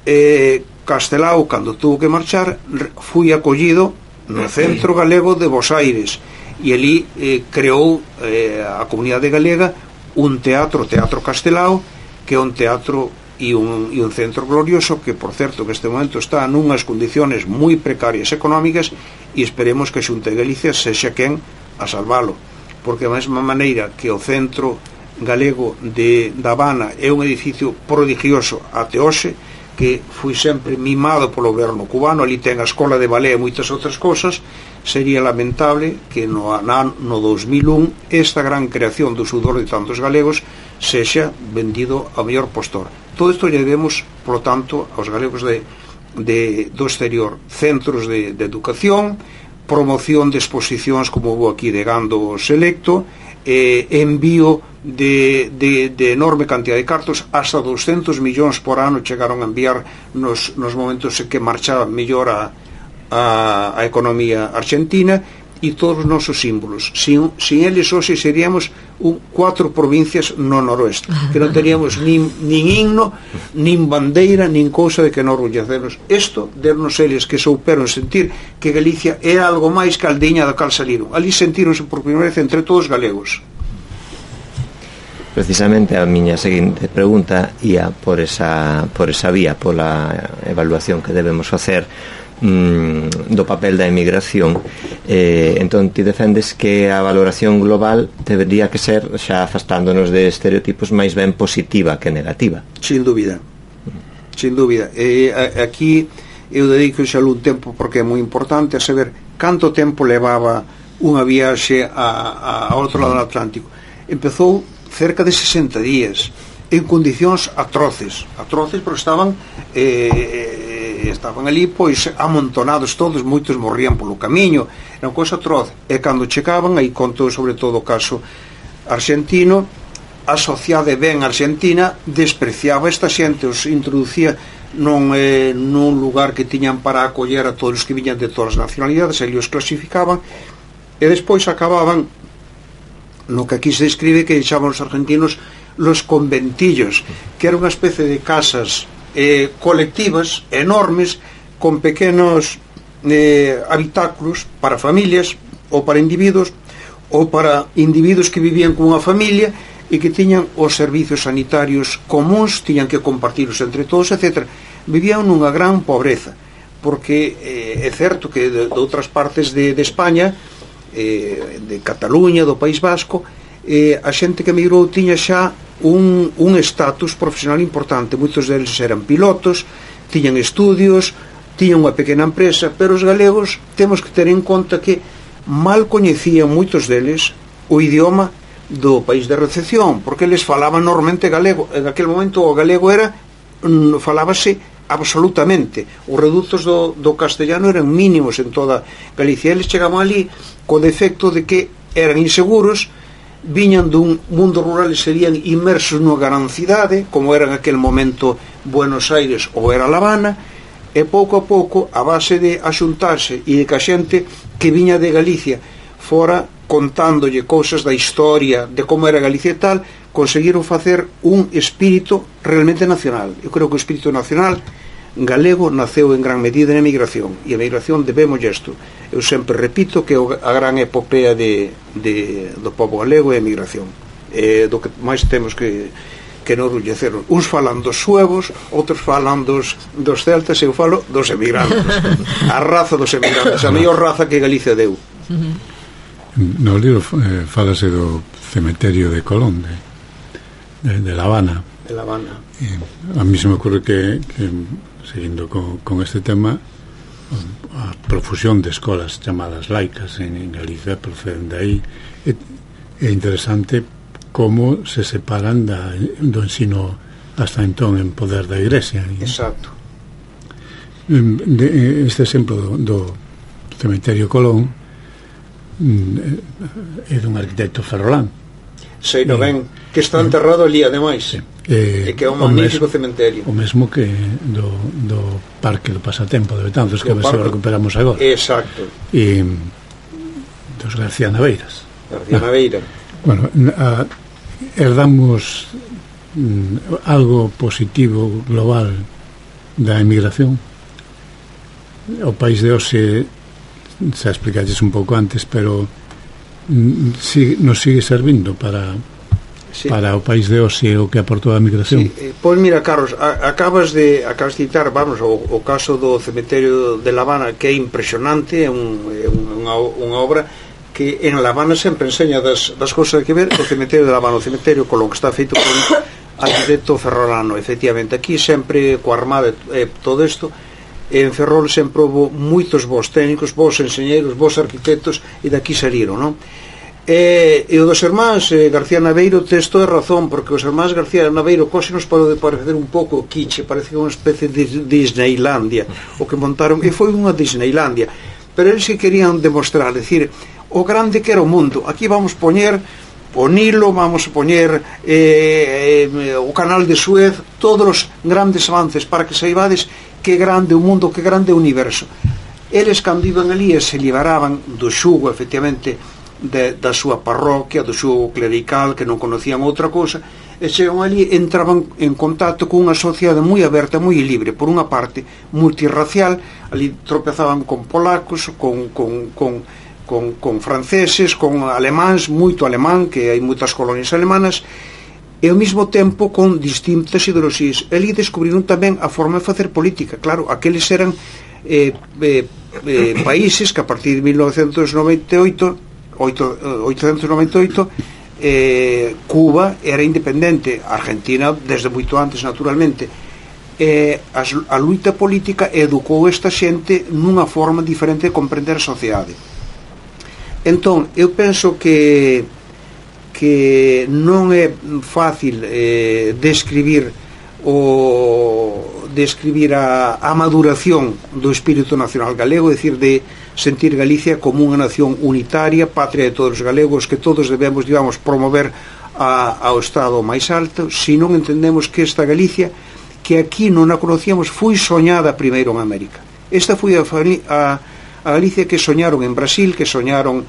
eh, Castelao, cando tuvo que marchar, foi acollido no Centro Galego de Bos Aires, e ali eh, creou eh, a comunidade galega un teatro, Teatro Castelao, que é un teatro e un, e un centro glorioso, que por certo que este momento está nunhas condiciones moi precarias económicas, e esperemos que a Xunta de Galicia sexa quen a salvalo, porque a mesma maneira que o Centro Galego de, da Habana é un edificio prodigioso até hoxe, que foi sempre mimado polo goberno cubano, ali ten a escola de balé e moitas outras cousas, sería lamentable que no, no dos mil un esta gran creación do sudor de tantos galegos sexa vendido ao mellor postor. Todo isto lle debemos, polo tanto, aos galegos de, de, do exterior, centros de, de educación, promoción de exposicións como hubo aquí de Gando Selecto, eh, envío de, de, de enorme cantidad de cartos, hasta doscientos millóns por ano chegaron a enviar nos, nos momentos en que marchaba mellor a, a, a economía argentina, e todos os nosos símbolos. Sin, sin eles hoxe seríamos un, cuatro provincias no noroeste, que non teríamos nin, nin himno, nin bandeira, nin cousa de que non orgullecernos. Isto dernos eles que souperon sentir que Galicia é algo máis que a aldeña da cal saliron. Ali sentíronse por primeira vez entre todos galegos. Precisamente a miña seguinte pregunta ia por esa, por esa vía, pola evaluación que debemos facer mm, do papel da emigración. eh, entón ti defendes que a valoración global debería que ser, xa afastándonos de estereotipos, máis ben positiva que negativa. Sin dúbida, sin dúbida. eh, aquí eu dedico xa un tempo, porque é moi importante, a saber canto tempo levaba unha viaxe a, a, a outro lado do Atlántico. Empezou cerca de sesenta días en condicións atroces atroces porque estaban eh, estaban ali pois amontonados todos, moitos morrían polo camiño, era unha cosa atroz. E cando chegaban, aí contou sobre todo o caso argentino, a sociedade ben argentina despreciaba esta xente, os introducía non, eh, nun lugar que tiñan para acoller a todos os que viñan de todas as nacionalidades, e os clasificaban, e despois acababan no que aquí se describe que deixaban os argentinos los conventillos, que era unha especie de casas eh, colectivas enormes con pequenos eh, habitáculos para familias ou para individuos ou para individuos que vivían con unha familia e que tiñan os servicios sanitarios comuns, tiñan que compartirlos entre todos, etcétera. Vivían nunha gran pobreza, porque eh, é certo que de, de outras partes de, de España, eh, de Cataluña, do País Vasco, eh, a xente que emigrou tiña xa un, un estatus profesional importante. Moitos deles eran pilotos, tiñan estudios, tiñan unha pequena empresa, pero os galegos temos que ter en conta que mal coñecían moitos deles o idioma do país de recepción, porque eles falaban normalmente galego. En aquel momento o galego era mm, falábase absolutamente. Os redutos do, do castellano eran mínimos en toda Galicia. Eles chegaban ali co defecto de que eran inseguros, viñan dun mundo rural e serían inmersos nunha gran cidade, como era en aquel momento Buenos Aires ou era La Habana, e pouco a pouco, a base de axuntarse e de que a xente que viña de Galicia fora contándolle cousas da historia de como era Galicia e tal, conseguiron facer un espírito realmente nacional. Eu creo que o espírito nacional galego naceu en gran medida na emigración, e a emigración debemos isto. Eu sempre repito que a gran epopea de, de, do povo galego é a emigración, é do que máis temos que que enorgullecer. Uns falan dos suevos, outros falan dos, dos celtas, eu falo dos emigrantes, a raza dos emigrantes, a mellor raza que Galicia deu. No libro eh, falase do cementerio de Colón, de, de, de La Habana. De La Habana. E a mí se me ocurre que, que seguindo con, con este tema, a profusión de escolas chamadas laicas en, en Galicia proceden de aí. É, é interesante como se separan da, do ensino hasta entón en poder da Iglesia. Exacto. De, este exemplo do, do cementerio Colón é dun arquitecto ferrolán. Sei no ben, que está enterrado ali ademais, sí. E que é un magnífico mesmo, cementerio. O mesmo que do, do Parque do Pasatempo de Betanzos, que a ver se o recuperamos agora. Exacto. E dos García Naveiras. García no. Naveira. Bueno, a, herdamos mm, algo positivo global da emigración. O país de hoxe xa explicaches un pouco antes, pero mm, si, nos sigue servindo para sí. para o país de hoxe o que aportou a migración. Sí. Eh, pois mira, Carlos, a, acabas de acabas de citar, vamos, o, o caso do cementerio de La Habana, que é impresionante, é un, é unha, unha obra que en La Habana sempre enseña das, das cousas que ver. O cementerio de La Habana, o cementerio Colón, que está feito por un arquitecto ferrolano, efectivamente. Aquí sempre coa armada e eh, todo isto. En Ferrol sempre houve moitos bons técnicos, bons enxeñeiros, bons arquitectos, e daqui saíron, non? E, e o dos irmáns eh, García Naveiro tes toda razón, porque os irmáns García Naveiro cose nos pode parecer un pouco quiche, parece unha especie de Disneylandia o que montaron, e foi unha Disneylandia, pero eles que querían demostrar, decir, o grande que era o mundo. Aquí vamos poñer o Nilo, vamos a poñer eh, eh, o canal de Suez, todos os grandes avances para que saibades que grande o mundo, que grande o universo. Eles cando iban ali e se liberaban do xugo, efectivamente, de, da súa parroquia, do xugo clerical, que non conocían outra cosa, e chegan ali, entraban en contacto con unha sociedade moi aberta, moi libre, por unha parte multirracial. Ali tropezaban con polacos, con, con, con, con, con franceses, con alemáns, moito alemán, que hai moitas colonias alemanas, e ao mesmo tempo con distintas ideoloxías. Ali descubriron tamén a forma de facer política. Claro, aqueles eran eh, eh, eh, países que a partir de mil novecentos noventa e oito oitocentos noventa e oito eh, Cuba era independente, Argentina desde moito antes, naturalmente. Eh, a, a luita política educou esta xente nunha forma diferente de comprender a sociedade. Entón, eu penso que que non é fácil eh, describir o describir a, a maduración do espírito nacional galego, é dicir, de sentir Galicia como unha nación unitaria, patria de todos os galegos, que todos debemos, digamos, promover a, ao estado máis alto. Se non entendemos que esta Galicia, que aquí non a conocíamos, foi soñada primeiro en América. Esta foi a, a, a Galicia que soñaron en Brasil, que soñaron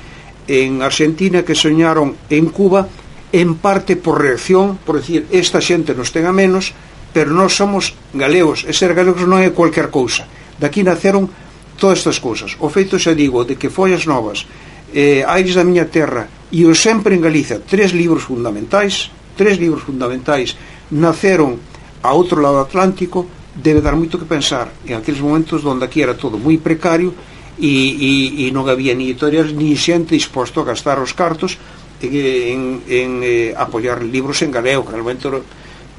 en Argentina, que soñaron en Cuba, en parte por reacción, por decir, esta xente nos ten a menos, pero nós somos galegos, e ser galegos non é cualquier cousa. Daqui naceron todas estas cousas. O feito, xa digo, de que Follas Novas, eh, Aires da miña terra e o Sempre en Galicia, tres libros fundamentais, tres libros fundamentais, naceron a outro lado do Atlántico, debe dar moito que pensar en aqueles momentos onde aquí era todo moi precario e, e, e non había ni editoriais ni xente disposto a gastar os cartos en, en eh, apoiar libros en galego, que realmente bueno,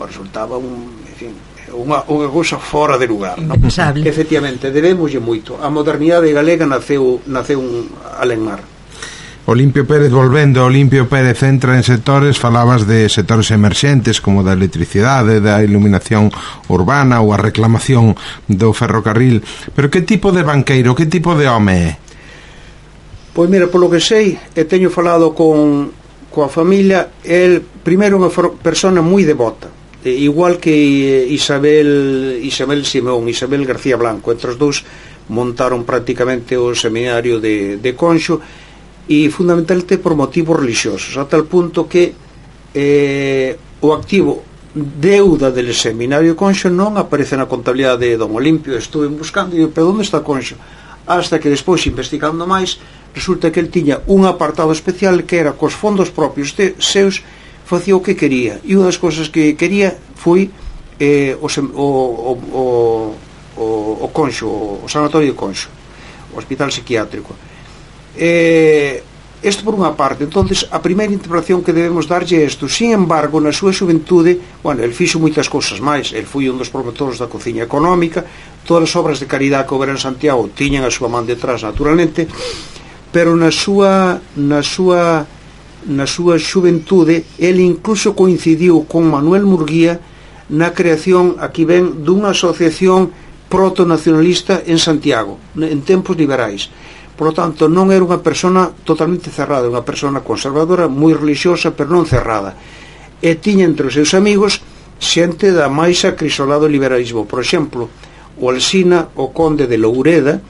resultaba un, en fin, unha, unha cousa fora de lugar, ¿no? Efectivamente, debemoslle moito. A modernidade galega naceu, naceu un alenmar. Olimpio Pérez, volvendo, Olimpio Pérez entra en sectores, falabas de sectores emerxentes como da electricidade, da iluminación urbana ou a reclamación do ferrocarril, pero que tipo de banqueiro, que tipo de home é? Pois mira, polo que sei, e teño falado con coa familia, el primeiro unha persona moi devota, eh, igual que Isabel Isabel Simón, Isabel García Blanco, entre os dous montaron prácticamente o seminario de, de Conxo, e fundamentalmente por motivos religiosos, a tal punto que eh, o activo deuda del seminario de Conxo non aparece na contabilidade de Don Olimpio. Estuve buscando e digo, pero onde está Conxo? Hasta que despois, investigando máis, resulta que el tiña un apartado especial que era cos fondos propios de seus facía o que quería, e unha das cousas que quería foi eh, o, o, o, o, o Conxo, o sanatorio de Conxo, o hospital psiquiátrico. Eh, isto por unha parte. Entonces a primeira interpretación que debemos darlle é isto. Sin embargo, na súa xuventude, bueno, el fixo moitas cousas máis. El foi un dos promotores da cociña económica, todas as obras de caridade que houbera en Santiago tiñan a súa man detrás, naturalmente, pero na súa na súa na súa xuventude el incluso coincidiu con Manuel Murguía na creación, aquí ven, dunha asociación proto-nacionalista en Santiago, en tempos liberais. Por lo tanto, non era unha persona totalmente cerrada, unha persona conservadora, moi religiosa, pero non cerrada. E tiña entre os seus amigos xente da máis acrisolado liberalismo. Por exemplo, o Alsina, o conde de Loureda.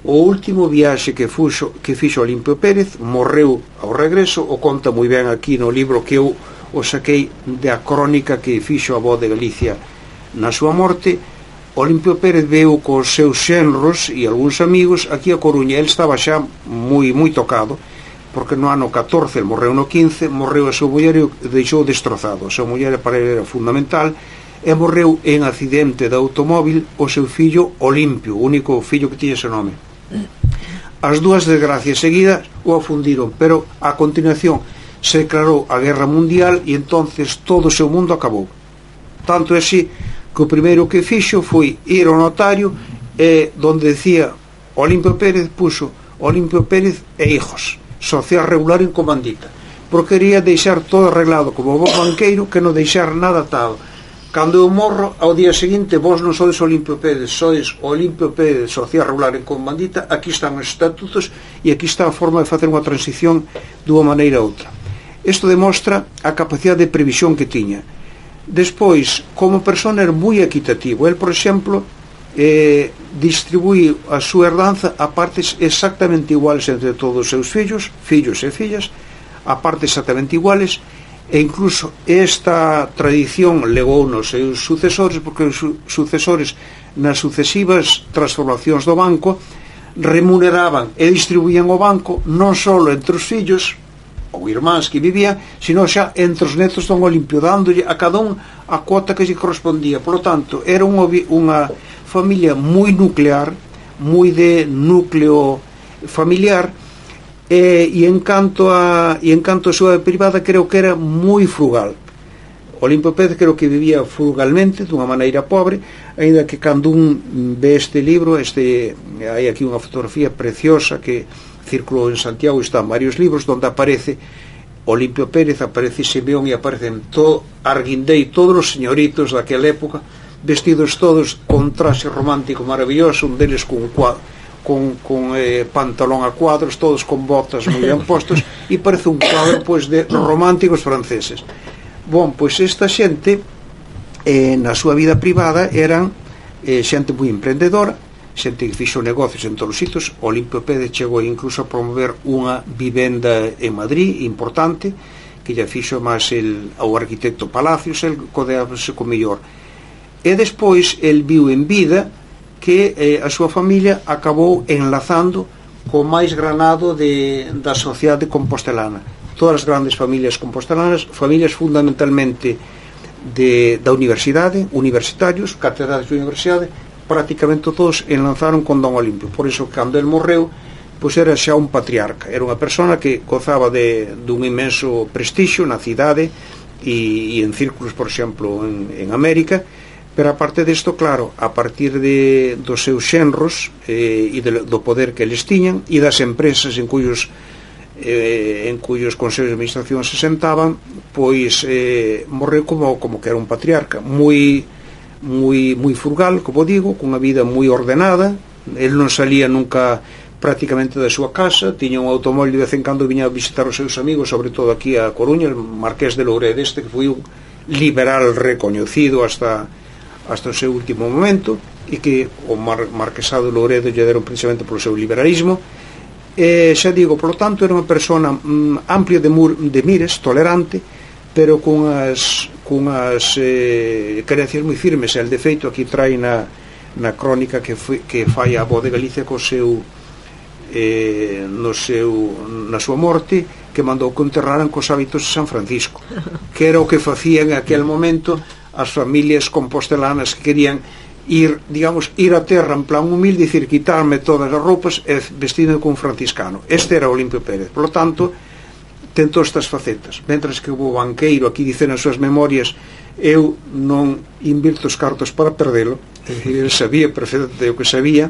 O último viaxe que fuxo, que fixo Olimpio Pérez, morreu ao regreso, o conta moi ben aquí no libro que eu o saquei da crónica que fixo a voz de Galicia na súa morte. Olimpio Pérez veu cos seus xenros e algúns amigos aquí a Coruña. El estaba xa moi moi tocado, porque no ano catorce, el morreu no quince, morreu a súa muller e deixou destrozado. A súa muller para ele era fundamental, e morreu en accidente de automóvil o seu fillo Olimpio, o único fillo que tiña ese nome. As dúas desgracias seguidas o afundiron, pero a continuación se declarou a guerra mundial e entonces todo o seu mundo acabou. Tanto é así que o primeiro que fixo foi ir ao notario e donde decía Olimpio Pérez puxo Olimpio Pérez e hijos, social regular en comandita, porque quería deixar todo arreglado como bo banqueiro, que non deixar nada atado. Cando eu morro, ao día seguinte, vos non sodes Olimpio Pérez, sodes Olimpio Pérez, social regular en comandita, aquí están os estatutos e aquí está a forma de facer unha transición dunha maneira a outra. Isto demostra a capacidade de previsión que tiña. Despois, como persona era moi equitativo. El, por exemplo, eh, distribui a súa herdanza a partes exactamente iguales entre todos os seus fillos, fillos e fillas, a partes exactamente iguales, e incluso esta tradición legou nos seus sucesores, porque os sucesores nas sucesivas transformacións do banco remuneraban e distribuían o banco non só entre os fillos ou irmáns que vivían, sino xa entre os netos don Olimpio, dándolle a cada un a cuota que lle correspondía. Por lo tanto, era unha, unha familia moi nuclear, moi de núcleo familiar, e, e en canto a e en canto a súa privada, creo que era moi frugal. Olimpio Pérez creo que vivía frugalmente, dunha maneira pobre, aínda que cando un ve este libro, este hai aquí unha fotografía preciosa que circulou en Santiago, están varios libros donde aparece Olimpio Pérez, aparece Simeón e aparecen todo Arguindei, todos os señoritos daquela época, vestidos todos con traxe romántico maravilloso, un deles con cuadro con, con eh, pantalón a cuadros, todos con botas moi ben postos, e parece un cuadro pois de románticos franceses. Bon, pois esta xente eh, na súa vida privada eran eh, xente moi emprendedora, xente que fixo negocios en todos os sitios. Olimpio Pérez chegou incluso a promover unha vivenda en Madrid importante, que lle fixo máis el, ao arquitecto Palacios, el codeábase co mellor. E despois el viu en vida que eh, a súa familia acabou enlazando co máis granado de, da sociedade compostelana. Todas as grandes familias compostelanas, familias fundamentalmente de, da universidade, universitarios, catedráticos de universidade, prácticamente todos enlazaron con Don Olimpio. Por iso, cando el morreu, pois era xa un patriarca, era unha persona que gozaba de, dun inmenso prestixio na cidade e, e en círculos, por exemplo, en, en América. Pero aparte disto, claro, a partir de, dos seus xenros eh, e de, do poder que eles tiñan e das empresas en cuyos eh, en cuyos consellos de administración se sentaban, pois eh, morreu como, como que era un patriarca moi, moi, moi frugal, como digo, cunha vida moi ordenada. El non salía nunca prácticamente da súa casa, tiña un automóvil, de vez en cando viña a visitar os seus amigos, sobre todo aquí a Coruña, el Marqués de Lourede, este que foi un liberal recoñecido hasta hasta o seu último momento, e que o Mar Marquesado de Louredo lle deron precisamente polo seu liberalismo. E xa digo, polo tanto, era unha persona mm, amplia de, mur, de mires, tolerante, pero cunhas, cunhas eh, creencias moi firmes. El, de feito, aquí trai na, na crónica que, foi, que fai a voz de Galicia co seu, eh, no seu, na súa morte, que mandou que enterraran cos hábitos de San Francisco, que era o que facían en aquel momento as familias compostelanas que querían ir, digamos, ir a terra en plan humilde, dicir, quitarme todas as roupas e vestirme como franciscano. Este era Olimpio Pérez. Por lo tanto, ten todas estas facetas. Mentras que o banqueiro, aquí dice nas súas memorias, eu non invirto os cartos para perdelo, é dicir, ele sabía perfectamente o que sabía,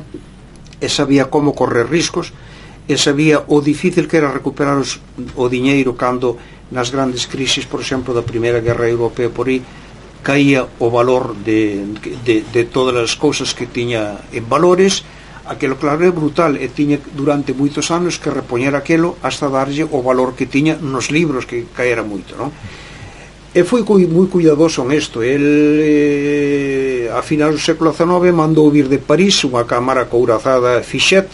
e sabía como correr riscos, e sabía o difícil que era recuperar os, o diñeiro cando nas grandes crisis, por exemplo, da Primeira Guerra Europea por aí, caía o valor de, de, de todas as cousas que tiña en valores. Aquelo, claro, é brutal, e tiña durante moitos anos que repoñer aquelo hasta darlle o valor que tiña nos libros, que caera moito, non? E foi moi cuidadoso en isto. El, eh, a final do século dezenove, mandou vir de París unha cámara courazada Fichet,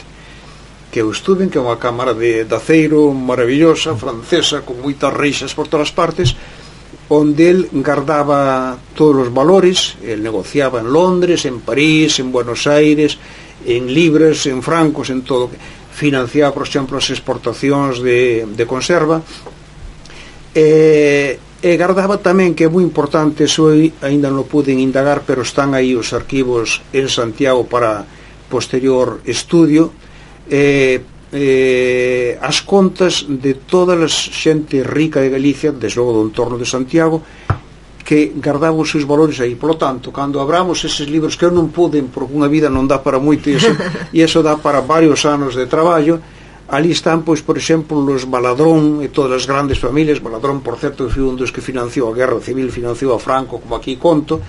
que eu estuve, que é unha cámara de, de aceiro maravillosa, francesa, con moitas reixas por todas partes, onde el guardaba todos os valores. El negociaba en Londres, en París, en Buenos Aires, en libras, en francos, en todo. Financiaba, por exemplo, as exportacións de, de conserva, e, e guardaba tamén, que é moi importante, eso ainda non puden indagar, pero están aí os arquivos en Santiago para posterior estudio, e Eh, as contas de toda a xente rica de Galicia, desde logo do entorno de Santiago, que guardaba os seus valores aí. Por lo tanto, cando abramos eses libros, que eu non poden, porque unha vida non dá para moito, e eso, e eso dá para varios anos de traballo, ali están, pois, por exemplo, os Baladrón e todas as grandes familias. Baladrón, por certo, foi un dos que financiou a Guerra Civil, financiou a Franco, como aquí conto.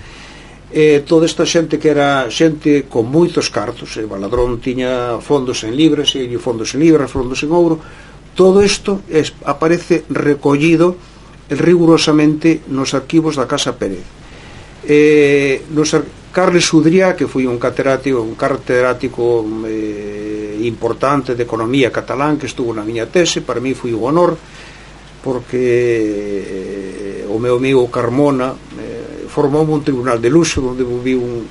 Eh, toda esta xente que era xente con moitos cartos, e Baladrón tiña fondos en libras, e fondos en libras, fondos en ouro. Todo isto es, aparece recollido rigurosamente nos arquivos da Casa Pérez. Eh, nos, Carles Sudriá, que foi un catedrático, un catedrático eh, importante de economía catalán, que estuvo na miña tese, para mí foi un honor, porque eh, o meu amigo Carmona eh, formou un tribunal de luxo, onde viu un,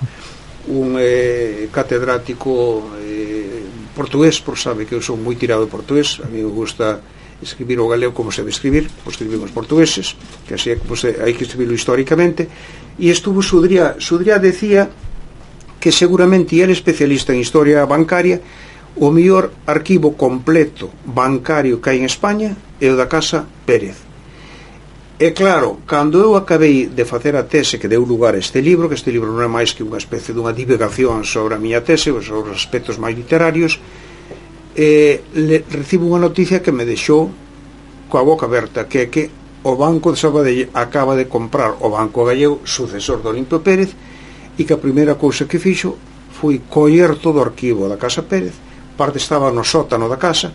un eh, catedrático eh, portugués, por sabe que eu sou moi tirado de portugués. A mí me gusta escribir o galego como se debe escribir, como escribimos os portugueses, que así é que pues, hai que escribirlo históricamente. E estuvo Sudriá. Sudriá decía que seguramente ele, especialista en historia bancaria, o mellor arquivo completo bancario que hai en España é o da Casa Pérez. E claro, cando eu acabei de facer a tese que deu lugar a este libro, que este libro non é máis que unha especie dunha divulgación sobre a miña tese, sobre os aspectos máis literarios, eh, le, recibo unha noticia que me deixou coa boca aberta, que é que o Banco de Sabadell acaba de comprar o Banco Gallego, sucesor de Olimpio Pérez, e que a primeira cousa que fixo foi coller todo o arquivo da Casa Pérez. Parte estaba no sótano da casa,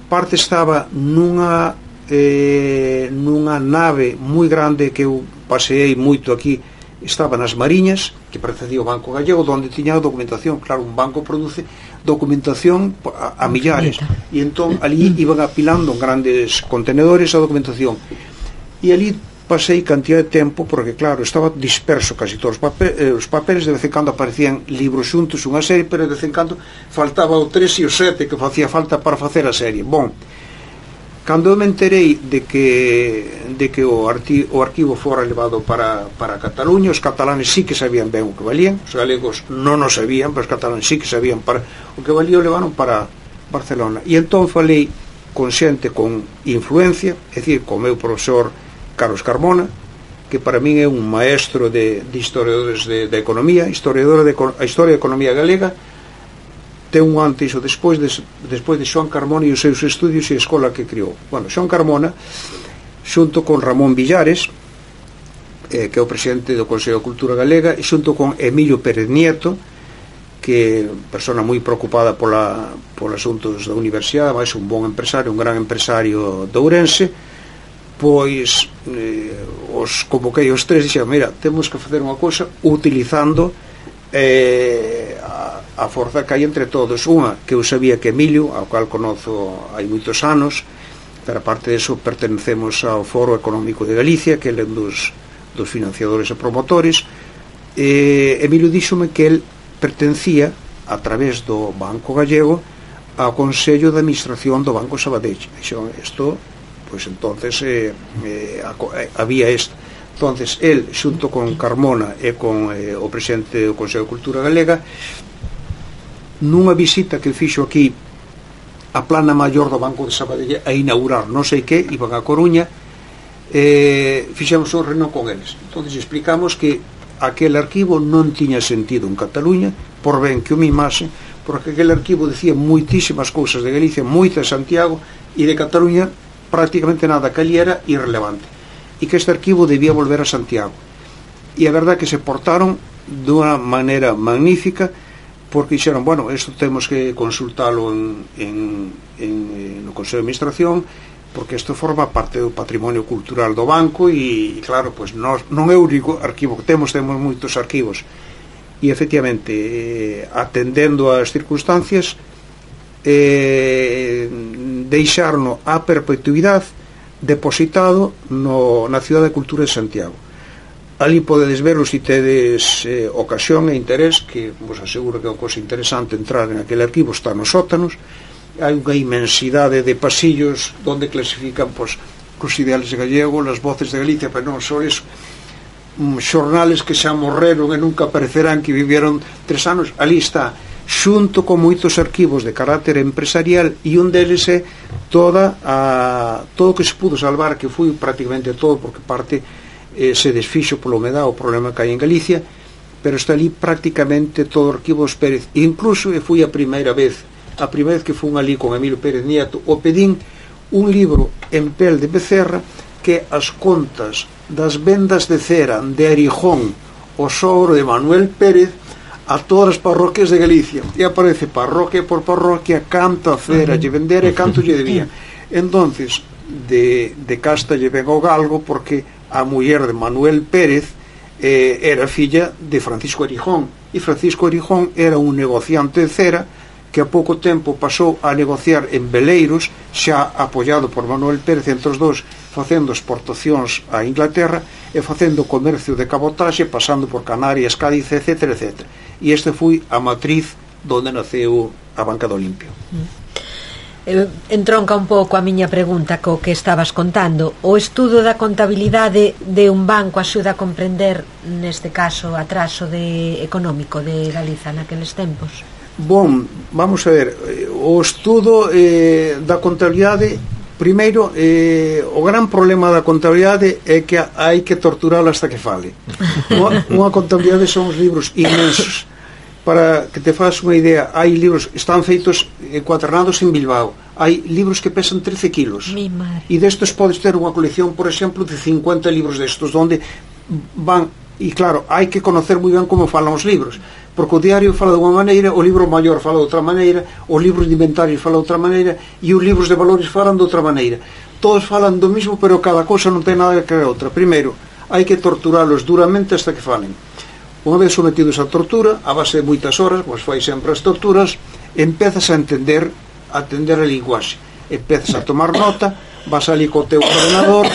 parte estaba nunha Eh, nunha nave moi grande que eu paseei moito aquí, estaba nas Mariñas, que precedía o Banco Gallego, onde tiña a documentación. Claro, un banco produce documentación a, a millares, e entón ali iban apilando en grandes contenedores a documentación. e ali pasei cantidad de tempo porque claro, estaba disperso casi todos os papeles, eh, os papeles de vez en cando aparecían libros xuntos, unha serie, pero de vez en cando faltaba o tres e o sete que facía falta para facer a serie. Bon, cando me enterei de que de que o, arti, o arquivo fora levado para, para Cataluña, os catalanes sí que sabían ben o que valían, os galegos non o sabían, pero os catalanes sí que sabían para o que valía, o levaron para Barcelona. E entón falei con xente con influencia, é dicir, con o meu profesor Carlos Carmona, que para min é un maestro de, de historiadores de, de economía, historiador de a historia da economía galega, ten un antes ou despois de, despois de Xoán Carmona e os seus estudios e a escola que criou. Bueno, Xoán Carmona, xunto con Ramón Villares, eh, que é o presidente do Consello de Cultura Galega, e xunto con Emilio Pérez Nieto, que é persona moi preocupada pola, pola asuntos da universidade, máis un bon empresario, un gran empresario de Ourense, pois eh, os convoquei os tres e dixen, mira, temos que facer unha cousa utilizando eh, a, a forza que hai entre todos. Unha, que eu sabía que Emilio, ao cual conozo hai moitos anos, pero aparte de eso pertenecemos ao Foro Económico de Galicia, que é un dos, dos financiadores e promotores. eh, Emilio díxome que el pertencía a través do Banco Gallego ao Consello de Administración do Banco Sabadell. Dixo, isto pois entonces eh, eh, había isto. Entonces el xunto con Carmona e con eh, o presidente do Consello de Cultura Galega, nunha visita que fixo aquí a plana maior do Banco de Sabadell a inaugurar non sei que, iban a Coruña, eh, fixemos un reunión con eles. Entonces explicamos que aquel arquivo non tiña sentido en Cataluña, por ben que o mimase, porque aquel arquivo decía moitísimas cousas de Galicia, moita de Santiago, e de Cataluña prácticamente nada, que ali era irrelevante, e que este arquivo debía volver a Santiago. E a verdad que se portaron dunha maneira magnífica, porque dixeron, bueno, isto temos que consultalo en, en, en, no Consello de Administración, porque isto forma parte do patrimonio cultural do banco, e claro, pois nos, non é o único arquivo que temos, temos moitos arquivos, e efectivamente eh, atendendo ás circunstancias, eh, deixarno a perpetuidade depositado no, na Cidade de Cultura de Santiago. Ali podedes verlo se tedes eh, ocasión e interés, que vos aseguro que é unha cosa interesante entrar en aquel arquivo, está nos sótanos, hai unha inmensidade de pasillos onde clasifican pois, os ideales gallegos, as voces de Galicia, pero non só iso, um, xornales que xa morreron e nunca aparecerán, que vivieron tres anos, ali está, xunto con moitos arquivos de carácter empresarial, e un deles é toda a, todo o que se pudo salvar, que foi prácticamente todo, porque parte eh, se desfixo polo humedad, o problema que hai en Galicia, pero está ali prácticamente todo o arquivo dos Pérez. E incluso e foi a primeira vez a primeira vez que fun ali con Emilio Pérez Nieto, o pedín un libro en pel de becerra, que as contas das vendas de cera de Arijón, o sogro de Manuel Pérez, a todas as parroquias de Galicia, e aparece parroquia por parroquia canta cera lle vendera e canto lle debía. Entonces de, de casta lle ven o galgo, porque a muller de Manuel Pérez eh, era filla de Francisco Arijón, e Francisco Arijón era un negociante de cera que a pouco tempo pasou a negociar en veleiros, xa apoiado por Manuel Pérez, entre os dous facendo exportacións a Inglaterra e facendo comercio de cabotaxe, pasando por Canarias, Cádiz, etcétera, etcétera. E este foi a matriz donde naceu a Banca do Olimpio. Entronca un pouco a miña pregunta co que estabas contando. O estudo da contabilidade de un banco axuda a comprender, neste caso, o atraso de, económico de Galiza naqueles tempos? Bon, vamos a ver, o estudo eh, da contabilidade, primeiro, eh, o gran problema da contabilidade é que hai que torturala hasta que fale. Unha, unha contabilidade son os libros inmensos. Para que te fagas unha idea, hai libros, están feitos encuadernados en Bilbao, hai libros que pesan trece kilos, e destos podes ter unha colección, por exemplo, de cincuenta libros destos, onde van, e claro, hai que conocer moi ben como falan os libros, porque o diario fala de unha maneira, o libro maior fala de outra maneira, os libros de inventarios fala de outra maneira, e os libros de valores falan de outra maneira. Todos falan do mismo, pero cada cosa non ten nada que ver outra. Primeiro, hai que torturalos duramente hasta que falen. Unha vez sometidos a tortura, a base de moitas horas, pois fai sempre as torturas, empezas a entender a entender a linguaxe, empezas a tomar nota, vas ali co teu ordenador,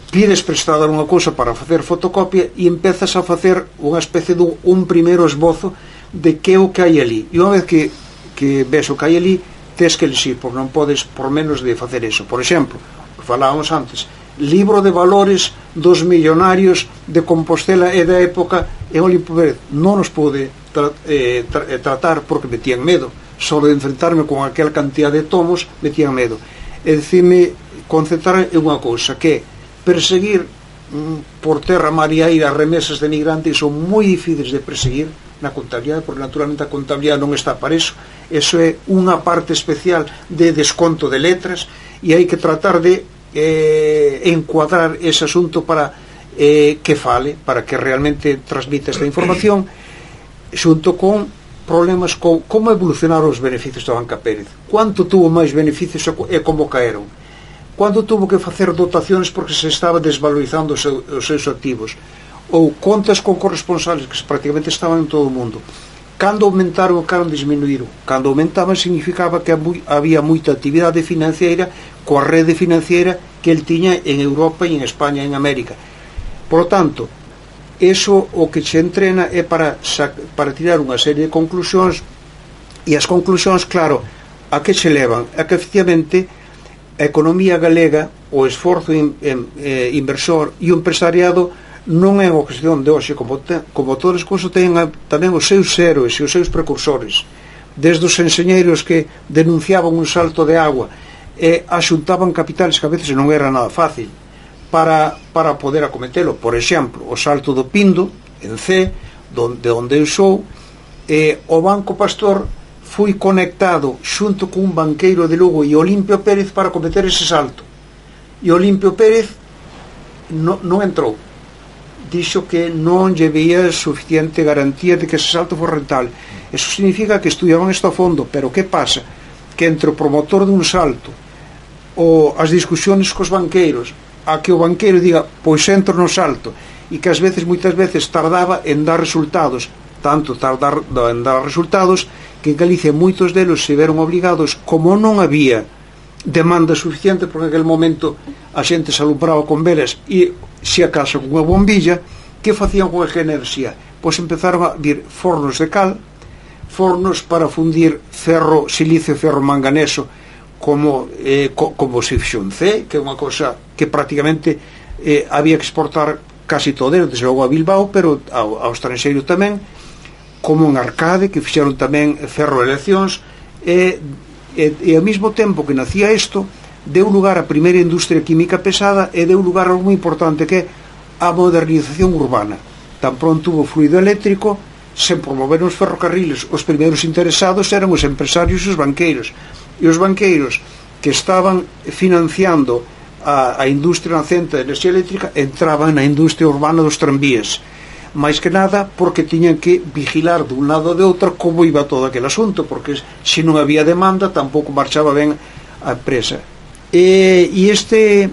pides prestada unha cousa para facer fotocopia e empezas a facer unha especie de un primeiro esbozo de que é o que hai ali, e unha vez que, que ves o que hai ali, tes que elixir, porque non podes por menos de facer eso. Por exemplo, que falábamos antes, libro de valores dos millonarios de Compostela e da época, e Olimpo Pérez non nos pode tra eh, tra eh, tratar porque me tían medo, só de enfrentarme con aquela cantidad de tomos me tían medo. E dicirme, concentrar en unha cousa, que perseguir mm, por terra, mar e aire as remesas de migrantes son moi difíciles de perseguir na contabilidade, porque naturalmente a contabilidade non está para eso. Eso é unha parte especial de desconto de letras, e hai que tratar de eh, encuadrar ese asunto para eh, que fale, para que realmente transmita esta información, xunto con problemas con como evolucionaron os beneficios da Banca Pérez, quanto tuvo máis beneficios e como caeron, quando tuvo que facer dotaciones porque se estaba desvalorizando os, seu, os seus activos, ou contas con corresponsales que prácticamente estaban en todo o mundo. Cando aumentaron ou cando disminuíron? Cando aumentaban significaba que había moita actividade financiera coa rede financiera que el tiña en Europa e en España e en América. Por lo tanto, eso o que se entrena é para, para tirar unha serie de conclusións, e as conclusións, claro, a que se levan? A que efectivamente a economía galega, o esforzo in, in, eh, inversor e o empresariado non é unha cuestión de hoxe, como, te, como todas as cousas ten tamén os seus héroes e os seus precursores, desde os enxeñeiros que denunciaban un salto de agua e axuntaban capitales que a veces non era nada fácil para, para poder acometelo. Por exemplo, o salto do Pindo en C, donde, onde eu sou, eh, o Banco Pastor foi conectado xunto con un banqueiro de Lugo e Olimpio Pérez para cometer ese salto, e Olimpio Pérez no, non entrou, dixo que non lle veía suficiente garantía de que ese salto foi rentable. Eso significa que estudiaban isto a fondo, pero que pasa? Que entre o promotor dun salto ou as discusiones cos banqueiros, a que o banqueiro diga, pois entro no salto, e que ás veces, moitas veces, tardaba en dar resultados, tanto tardar en dar resultados, que en Galicia moitos delos se veron obligados, como non había demanda suficiente, porque en aquel momento a xente se alumbraba con velas e se acaso con unha bombilla, que facían con aquela enerxía? Pois empezaron a vir fornos de cal, fornos para fundir ferro, silicio, ferro manganeso, como, eh, co, como se fixo en C, que é unha cosa que prácticamente eh, había que exportar casi todo, desde logo a Bilbao, pero ao, ao estranxeiro tamén, como en Arcade, que fixeron tamén ferro e eleccións, e, e, e ao mesmo tempo que nacía isto, deu lugar a primeira industria química pesada e deu lugar a algo moi importante, que é a modernización urbana. Tan pronto hubo fluido eléctrico, se promoveron os ferrocarriles, os primeiros interesados eran os empresarios e os banqueiros, e os banqueiros que estaban financiando a, a industria nacente de enerxía eléctrica entraban na industria urbana dos tranvías, máis que nada porque tiñan que vigilar dun lado ou de outro como iba todo aquel asunto, porque se non había demanda tampouco marchaba ben a empresa. E, e este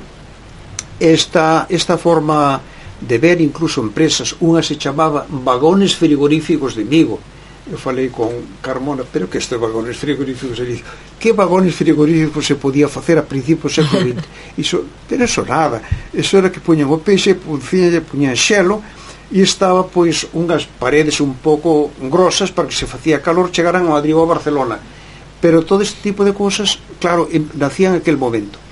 esta, esta forma de ver incluso empresas, unha se chamaba vagones frigoríficos de Vigo. Eu falei con Carmona, pero que estes vagones frigoríficos, e dixo, que vagones frigoríficos se podía facer a principios do século vinte? Iso, pero eso nada, eso era que puñan o peixe, puñan, puñan xelo, e estaba pois unhas paredes un pouco grosas para que se facía calor, chegaran a Madrid ou a Barcelona. Pero todo este tipo de cousas, claro, nacían en aquel momento.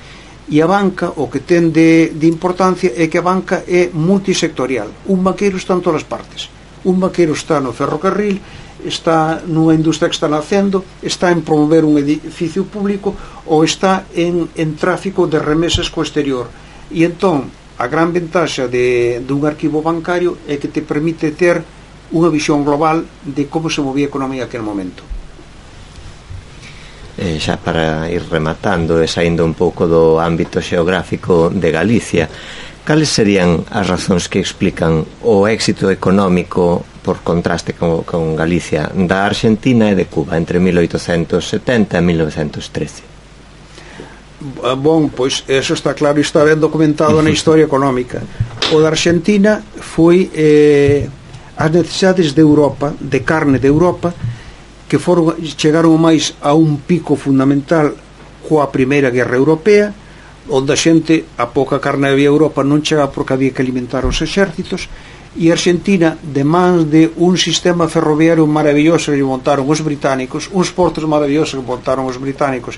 E a banca, o que ten de, de importancia é que a banca é multisectorial. Un banqueiro está en todas as partes. Un banqueiro está no ferrocarril, está nunha industria que está nacendo, está en promover un edificio público, ou está en, en tráfico de remesas co exterior. E entón, a gran ventaxa de, de un arquivo bancario é que te permite ter unha visión global de como se movía a economía aquel momento. Eh, xa para ir rematando e saindo un pouco do ámbito xeográfico de Galicia, cales serían as razóns que explican o éxito económico por contraste con, con Galicia da Argentina e de Cuba entre mil oitocentos setenta e mil novecentos trece? Bon, pois eso está claro e está ben documentado na historia económica. O da Argentina foi eh, as necesidades de Europa, de carne de Europa, que foron, chegaron máis a un pico fundamental coa Primeira Guerra Europea, onde a xente, a pouca carne había Europa non chegaba porque había que alimentar os exércitos, e Argentina, de mans de un sistema ferroviario maravilloso que montaron os británicos, uns portos maravillosos que montaron os británicos,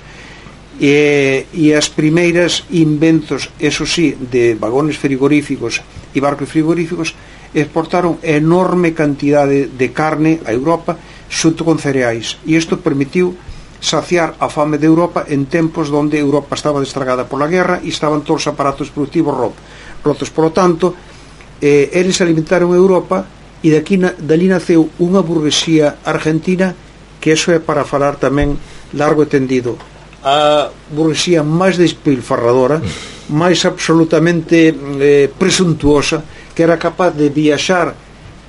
e, e as primeiras inventos, eso sí, de vagones frigoríficos e barcos frigoríficos, exportaron enorme cantidade de carne a Europa xunto con cereais, e isto permitiu saciar a fame de Europa en tempos onde Europa estaba destragada pola guerra e estaban todos os aparatos productivos rotos. Por lo tanto, eh, eles alimentaron Europa, e daqui na, dali naceu unha burguesía argentina que eso é para falar tamén largo e tendido, a burguesía máis despilfarradora, máis absolutamente eh, presuntuosa, que era capaz de viaxar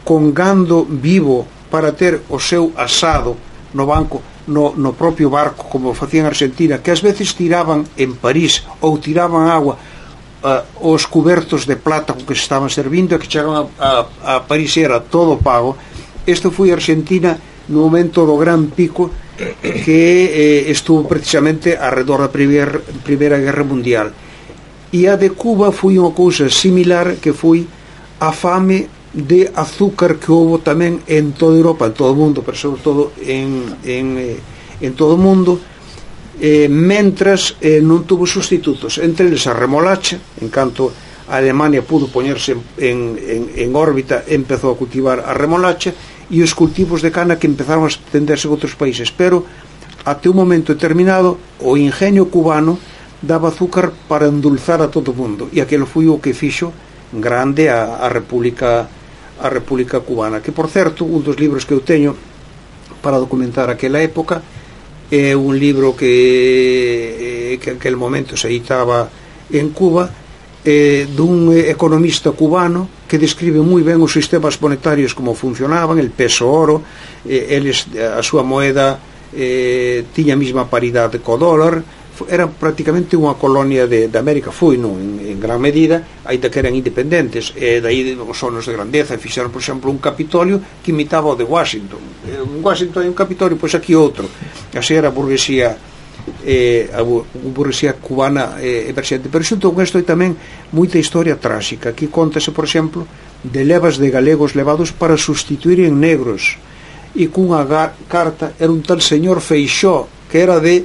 con gando vivo para ter o seu asado no banco, no, no propio barco, como facían en Argentina, que ás veces tiraban en París ou tiraban agua uh, os cubertos de plata con que se estaban servindo, e que chegaban a, a, a París era todo pago. Isto foi Argentina no momento do gran pico que eh, estuvo precisamente arredor da primeira, primeira Guerra Mundial. E a de Cuba foi unha cousa similar, que foi a fame de azúcar que houve tamén en toda Europa, en todo o mundo, pero sobre todo en, en, en todo o mundo, eh, mentras eh, non tuvo sustitutos, entre eles a remolacha. En canto a Alemania pudo poñerse en, en, en órbita, empezou a cultivar a remolacha, e os cultivos de cana que empezaron a extenderse en outros países, pero até un momento determinado o ingenio cubano daba azúcar para endulzar a todo o mundo, e aquilo foi o que fixo grande a, a República a República Cubana, que por certo un dos libros que eu teño para documentar aquela época é un libro que que en aquel momento se editaba en Cuba, eh, dun economista cubano que describe moi ben os sistemas monetarios, como funcionaban, el peso oro, eh, eles, a súa moeda eh, tiña a mesma paridade co dólar, era prácticamente unha colonia de, de América, foi non, en, en gran medida, aínda que eran independentes, e daí os sonos de grandeza, e fixeron, por exemplo, un Capitolio que imitaba o de Washington. En Washington hai un Capitolio, pois aquí outro. Así era a burguesía, eh, a burguesía cubana eh, emerxente. Pero xunto con isto hai tamén moita historia tráxica. Aquí contase, por exemplo, de levas de galegos levados para sustituir en negros, e cunha carta era un tal señor Feixó, que era de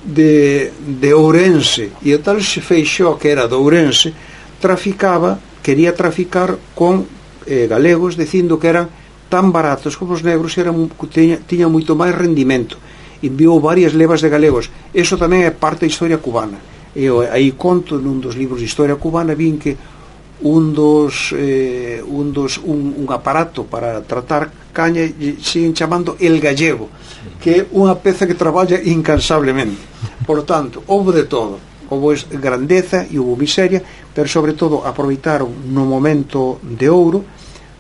de, de Ourense, e o tal Feixó, que era de Ourense, traficaba, quería traficar con eh, galegos, dicindo que eran tan baratos como os negros, e eran, tiña, tiña moito máis rendimento. Enviou varias levas de galegos. Eso tamén é parte da historia cubana, e eu aí conto nun dos libros de historia cubana, vin que un dos, eh, un, dos un, un aparato para tratar caña siguen chamando el gallego, que é unha peza que traballa incansablemente. Por lo tanto, houve de todo, houve grandeza e houve miseria, pero sobre todo aproveitaron no momento de ouro,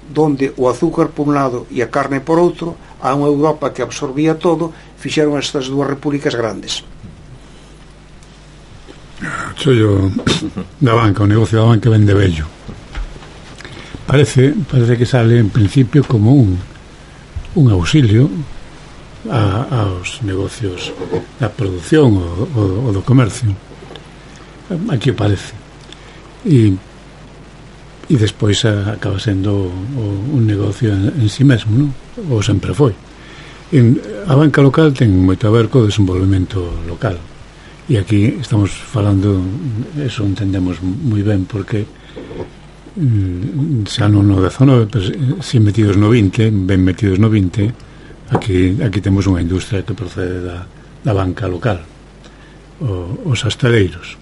donde o azúcar por un lado e a carne por outro, a unha Europa que absorbía todo, fixeron estas dúas repúblicas grandes. Chollo da banca, o negocio da banca vende bello. Parece, parece que sale en principio como un un auxilio a, aos negocios da produción ou, ou, ou do comercio. Aquí parece. E e despois acaba sendo o, un negocio en, en si mesmo, non? Ou sempre foi. En, a banca local ten moito a ver co desenvolvemento local. E aquí estamos falando, eso entendemos moi ben, porque xa non no dezanove, pero si metidos no vinte, ben metidos no vinte, aquí, aquí temos unha industria que procede da, da banca local, o, os astaleiros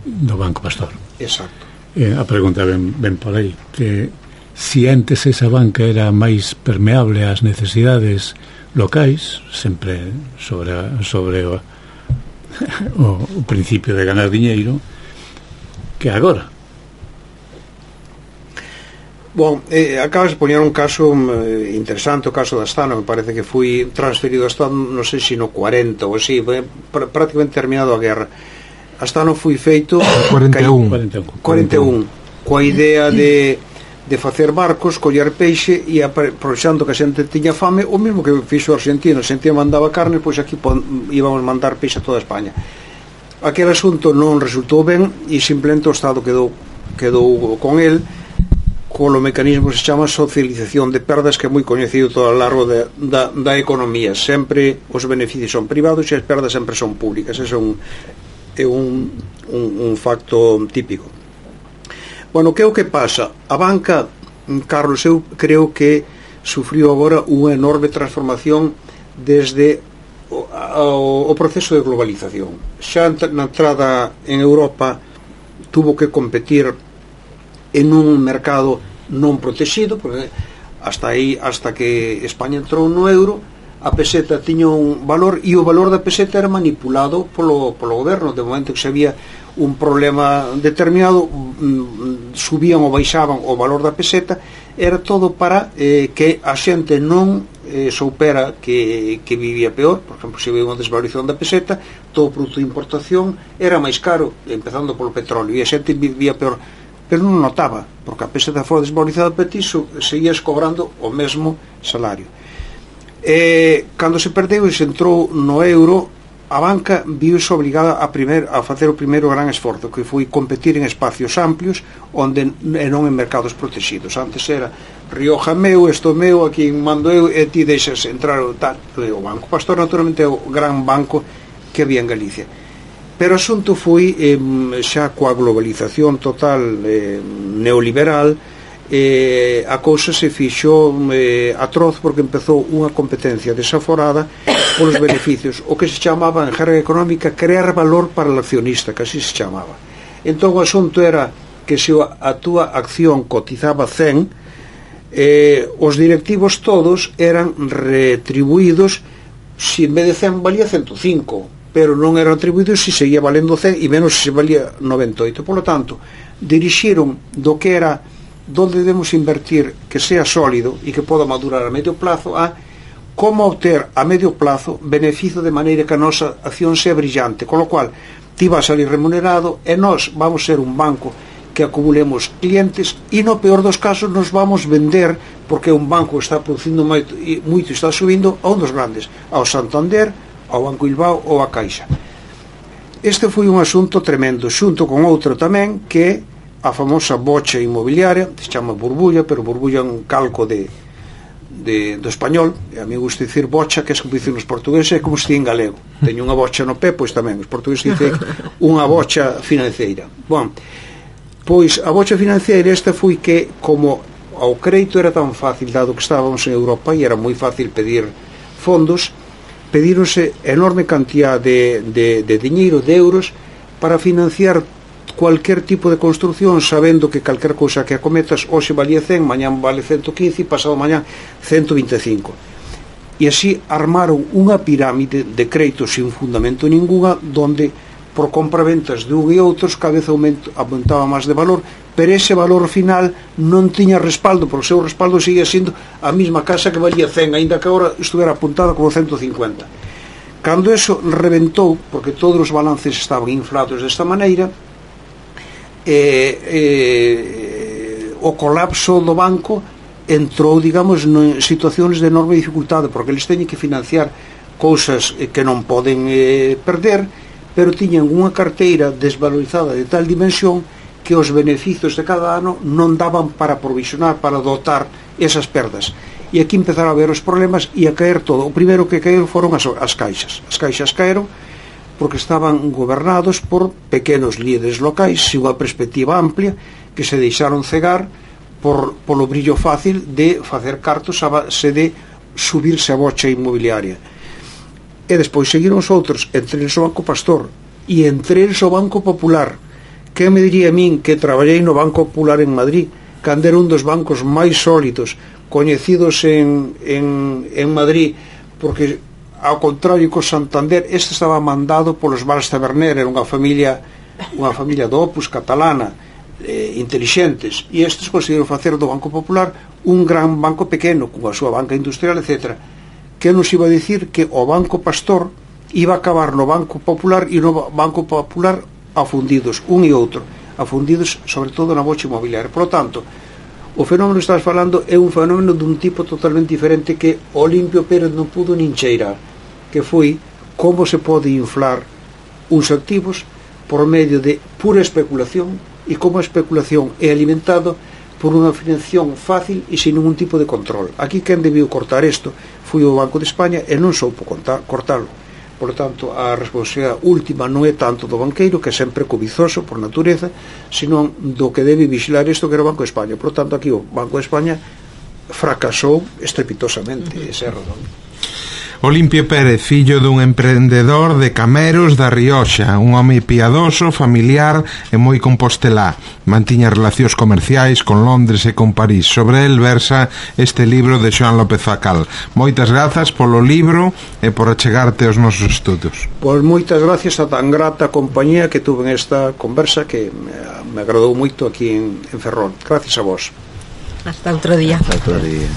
do Banco Pastor. Exacto. E a pregunta ben, ben por aí, que si antes esa banca era máis permeable ás necesidades locais, sempre sobre, sobre o O, o principio de ganar diñeiro, que agora. Bom, eh, acabas de poñer un caso eh, interesante, o caso da Astano, me parece que foi transferido a Astano, non sei se no cuarenta ou así, pr prácticamente terminado a guerra. Astano foi feito cuarenta e un cuarenta e un coa idea de de facer barcos, coller peixe e aprovechando que a xente tiña fame, o mesmo que fixo o argentino. A Argentina mandaba carne, pois aquí íbamos mandar peixe a toda España. aquel asunto non resultou ben e simplemente o Estado quedou quedou con el colo mecanismo que se chama socialización de perdas, que é moi coñecido todo ao largo de, da, da economía. Sempre os beneficios son privados e as perdas sempre son públicas. Ese é un, é un, un, un facto típico. Bueno, que é o que pasa? A banca, Carlos, eu creo que sufriu agora unha enorme transformación desde o, o, o proceso de globalización. Xa na entrada en Europa tuvo que competir en un mercado non protegido, porque hasta aí, hasta que España entrou no euro, a peseta tiña un valor e o valor da peseta era manipulado polo, polo goberno. De momento que se había un problema determinado, subían ou baixaban o valor da peseta, era todo para eh, que a xente non eh, soupera que, que vivía peor. Por exemplo, se había unha desvalorización da peseta, todo o produto de importación era máis caro, empezando polo petróleo, e a xente vivía peor, pero non notaba, porque a peseta fora desvalorizada para ti, seguías cobrando o mesmo salario. E cando se perdeu e se entrou no euro, a banca viuse obligada a, primer, a facer o primeiro gran esforzo, que foi competir en espacios amplios onde e non en mercados protegidos. Antes era Rioja meu, esto meu, aquí mando eu, e ti deixas entrar o tal. O Banco Pastor naturalmente é o gran banco que había en Galicia. Pero o asunto foi eh, xa coa globalización total eh, neoliberal, eh, a cousa se fixo eh, atroz, porque empezou unha competencia desaforada polos beneficios, o que se chamaba en jerga económica crear valor para o accionista, que así se chamaba. Entón o asunto era que se a túa acción cotizaba cen, eh, os directivos todos eran retribuídos, se en vez de cen valía ciento cinco, pero non eran atribuídos se seguía valendo cen e menos se valía noventa e oito. Por lo tanto, dirixiron do que era donde debemos invertir que sea sólido e que poda madurar a medio plazo a como obter a medio plazo beneficio de maneira que a nosa acción sea brillante, con lo cual ti vas a salir remunerado e nós vamos ser un banco que acumulemos clientes e no peor dos casos nos vamos vender, porque un banco está producindo moito e moito está subindo, a un dos grandes, ao Santander, ao Banco Bilbao ou a Caixa. Este foi un asunto tremendo, xunto con outro tamén, que a famosa bocha inmobiliaria, se chama burbulla, pero burbulla é un calco de, de, do español, e a mí gusta dicir bocha, que é como dicen os portugueses, é como se di en galego. Teño unha bocha no pé, pois tamén, os portugueses dicen unha bocha financeira. Bon, pois a bocha financeira esta foi que, como ao crédito era tan fácil, dado que estábamos en Europa e era moi fácil pedir fondos, pedíronse enorme cantidad de, de, de diñeiro, de euros, para financiar cualquier tipo de construcción, sabendo que calquer cousa que acometas hoxe valía cen, mañán vale ciento quince e pasado mañán ciento vinte e cinco. E así armaron unha pirámide de créditos sin fundamento ninguna, donde por compraventas de un e outros cada vez aumento, aumentaba máis de valor, pero ese valor final non tiña respaldo, porque o seu respaldo seguía sendo a mesma casa que valía cen, aínda que agora estuvera apuntada como ciento cincuenta. Cando eso reventou, porque todos os balances estaban inflados desta maneira, eh, eh, o colapso do banco entrou, digamos, en situacións de enorme dificultade, porque eles teñen que financiar cousas que non poden eh, perder, pero tiñan unha carteira desvalorizada de tal dimensión que os beneficios de cada ano non daban para provisionar, para dotar esas perdas. E aquí empezaron a ver os problemas e a caer todo. O primeiro que caeron foron as, as caixas. As caixas caeron porque estaban gobernados por pequenos líderes locais sin unha perspectiva amplia, que se deixaron cegar por, polo brillo fácil de facer cartos a base de subirse a bocha inmobiliaria. E despois seguiron os outros, entre eles o Banco Pastor e entre eles o Banco Popular. Que me diría a min que traballei no Banco Popular en Madrid, cando era un dos bancos máis sólidos coñecidos en, en, en Madrid, porque ao contrario que o Santander, este estaba mandado polos Vals Taberner, era unha familia unha familia do Opus catalana, eh, intelixentes, e estes conseguiron facer do Banco Popular un gran banco pequeno, con a súa banca industrial, etcétera. Que nos iba a dicir que o Banco Pastor iba a acabar no Banco Popular e no Banco Popular afundidos, un e outro, afundidos sobre todo na bocha inmobiliaria. Por lo tanto, o fenómeno que estás falando é un fenómeno dun tipo totalmente diferente que Olimpio Pérez non pudo nin cheirar, que foi como se pode inflar uns activos por medio de pura especulación, e como a especulación é alimentado por unha financiación fácil e sin ningún tipo de control. Aquí quen debiu cortar isto foi o Banco de España e non soupo cortalo. Por lo tanto, a responsabilidade última non é tanto do banqueiro, que é sempre cobizoso por natureza, senón do que debe vigilar isto, que era o Banco de España. Por lo tanto, aquí o Banco de España fracasou estrepitosamente. Uh-huh. Ese é a razón. Olimpio Pérez, fillo dun emprendedor de Cameros da Rioxa, un home piadoso, familiar e moi compostelá. Mantiña relacións comerciais con Londres e con París. Sobre el versa este libro de Xoán López Facal. Moitas grazas polo libro e por achegarte aos nosos estudos. Pois moitas gracias a tan grata compañía que tuve en esta conversa, que me agradou moito aquí en, en Ferrol. Gracias a vos. Hasta outro día. Hasta outro día.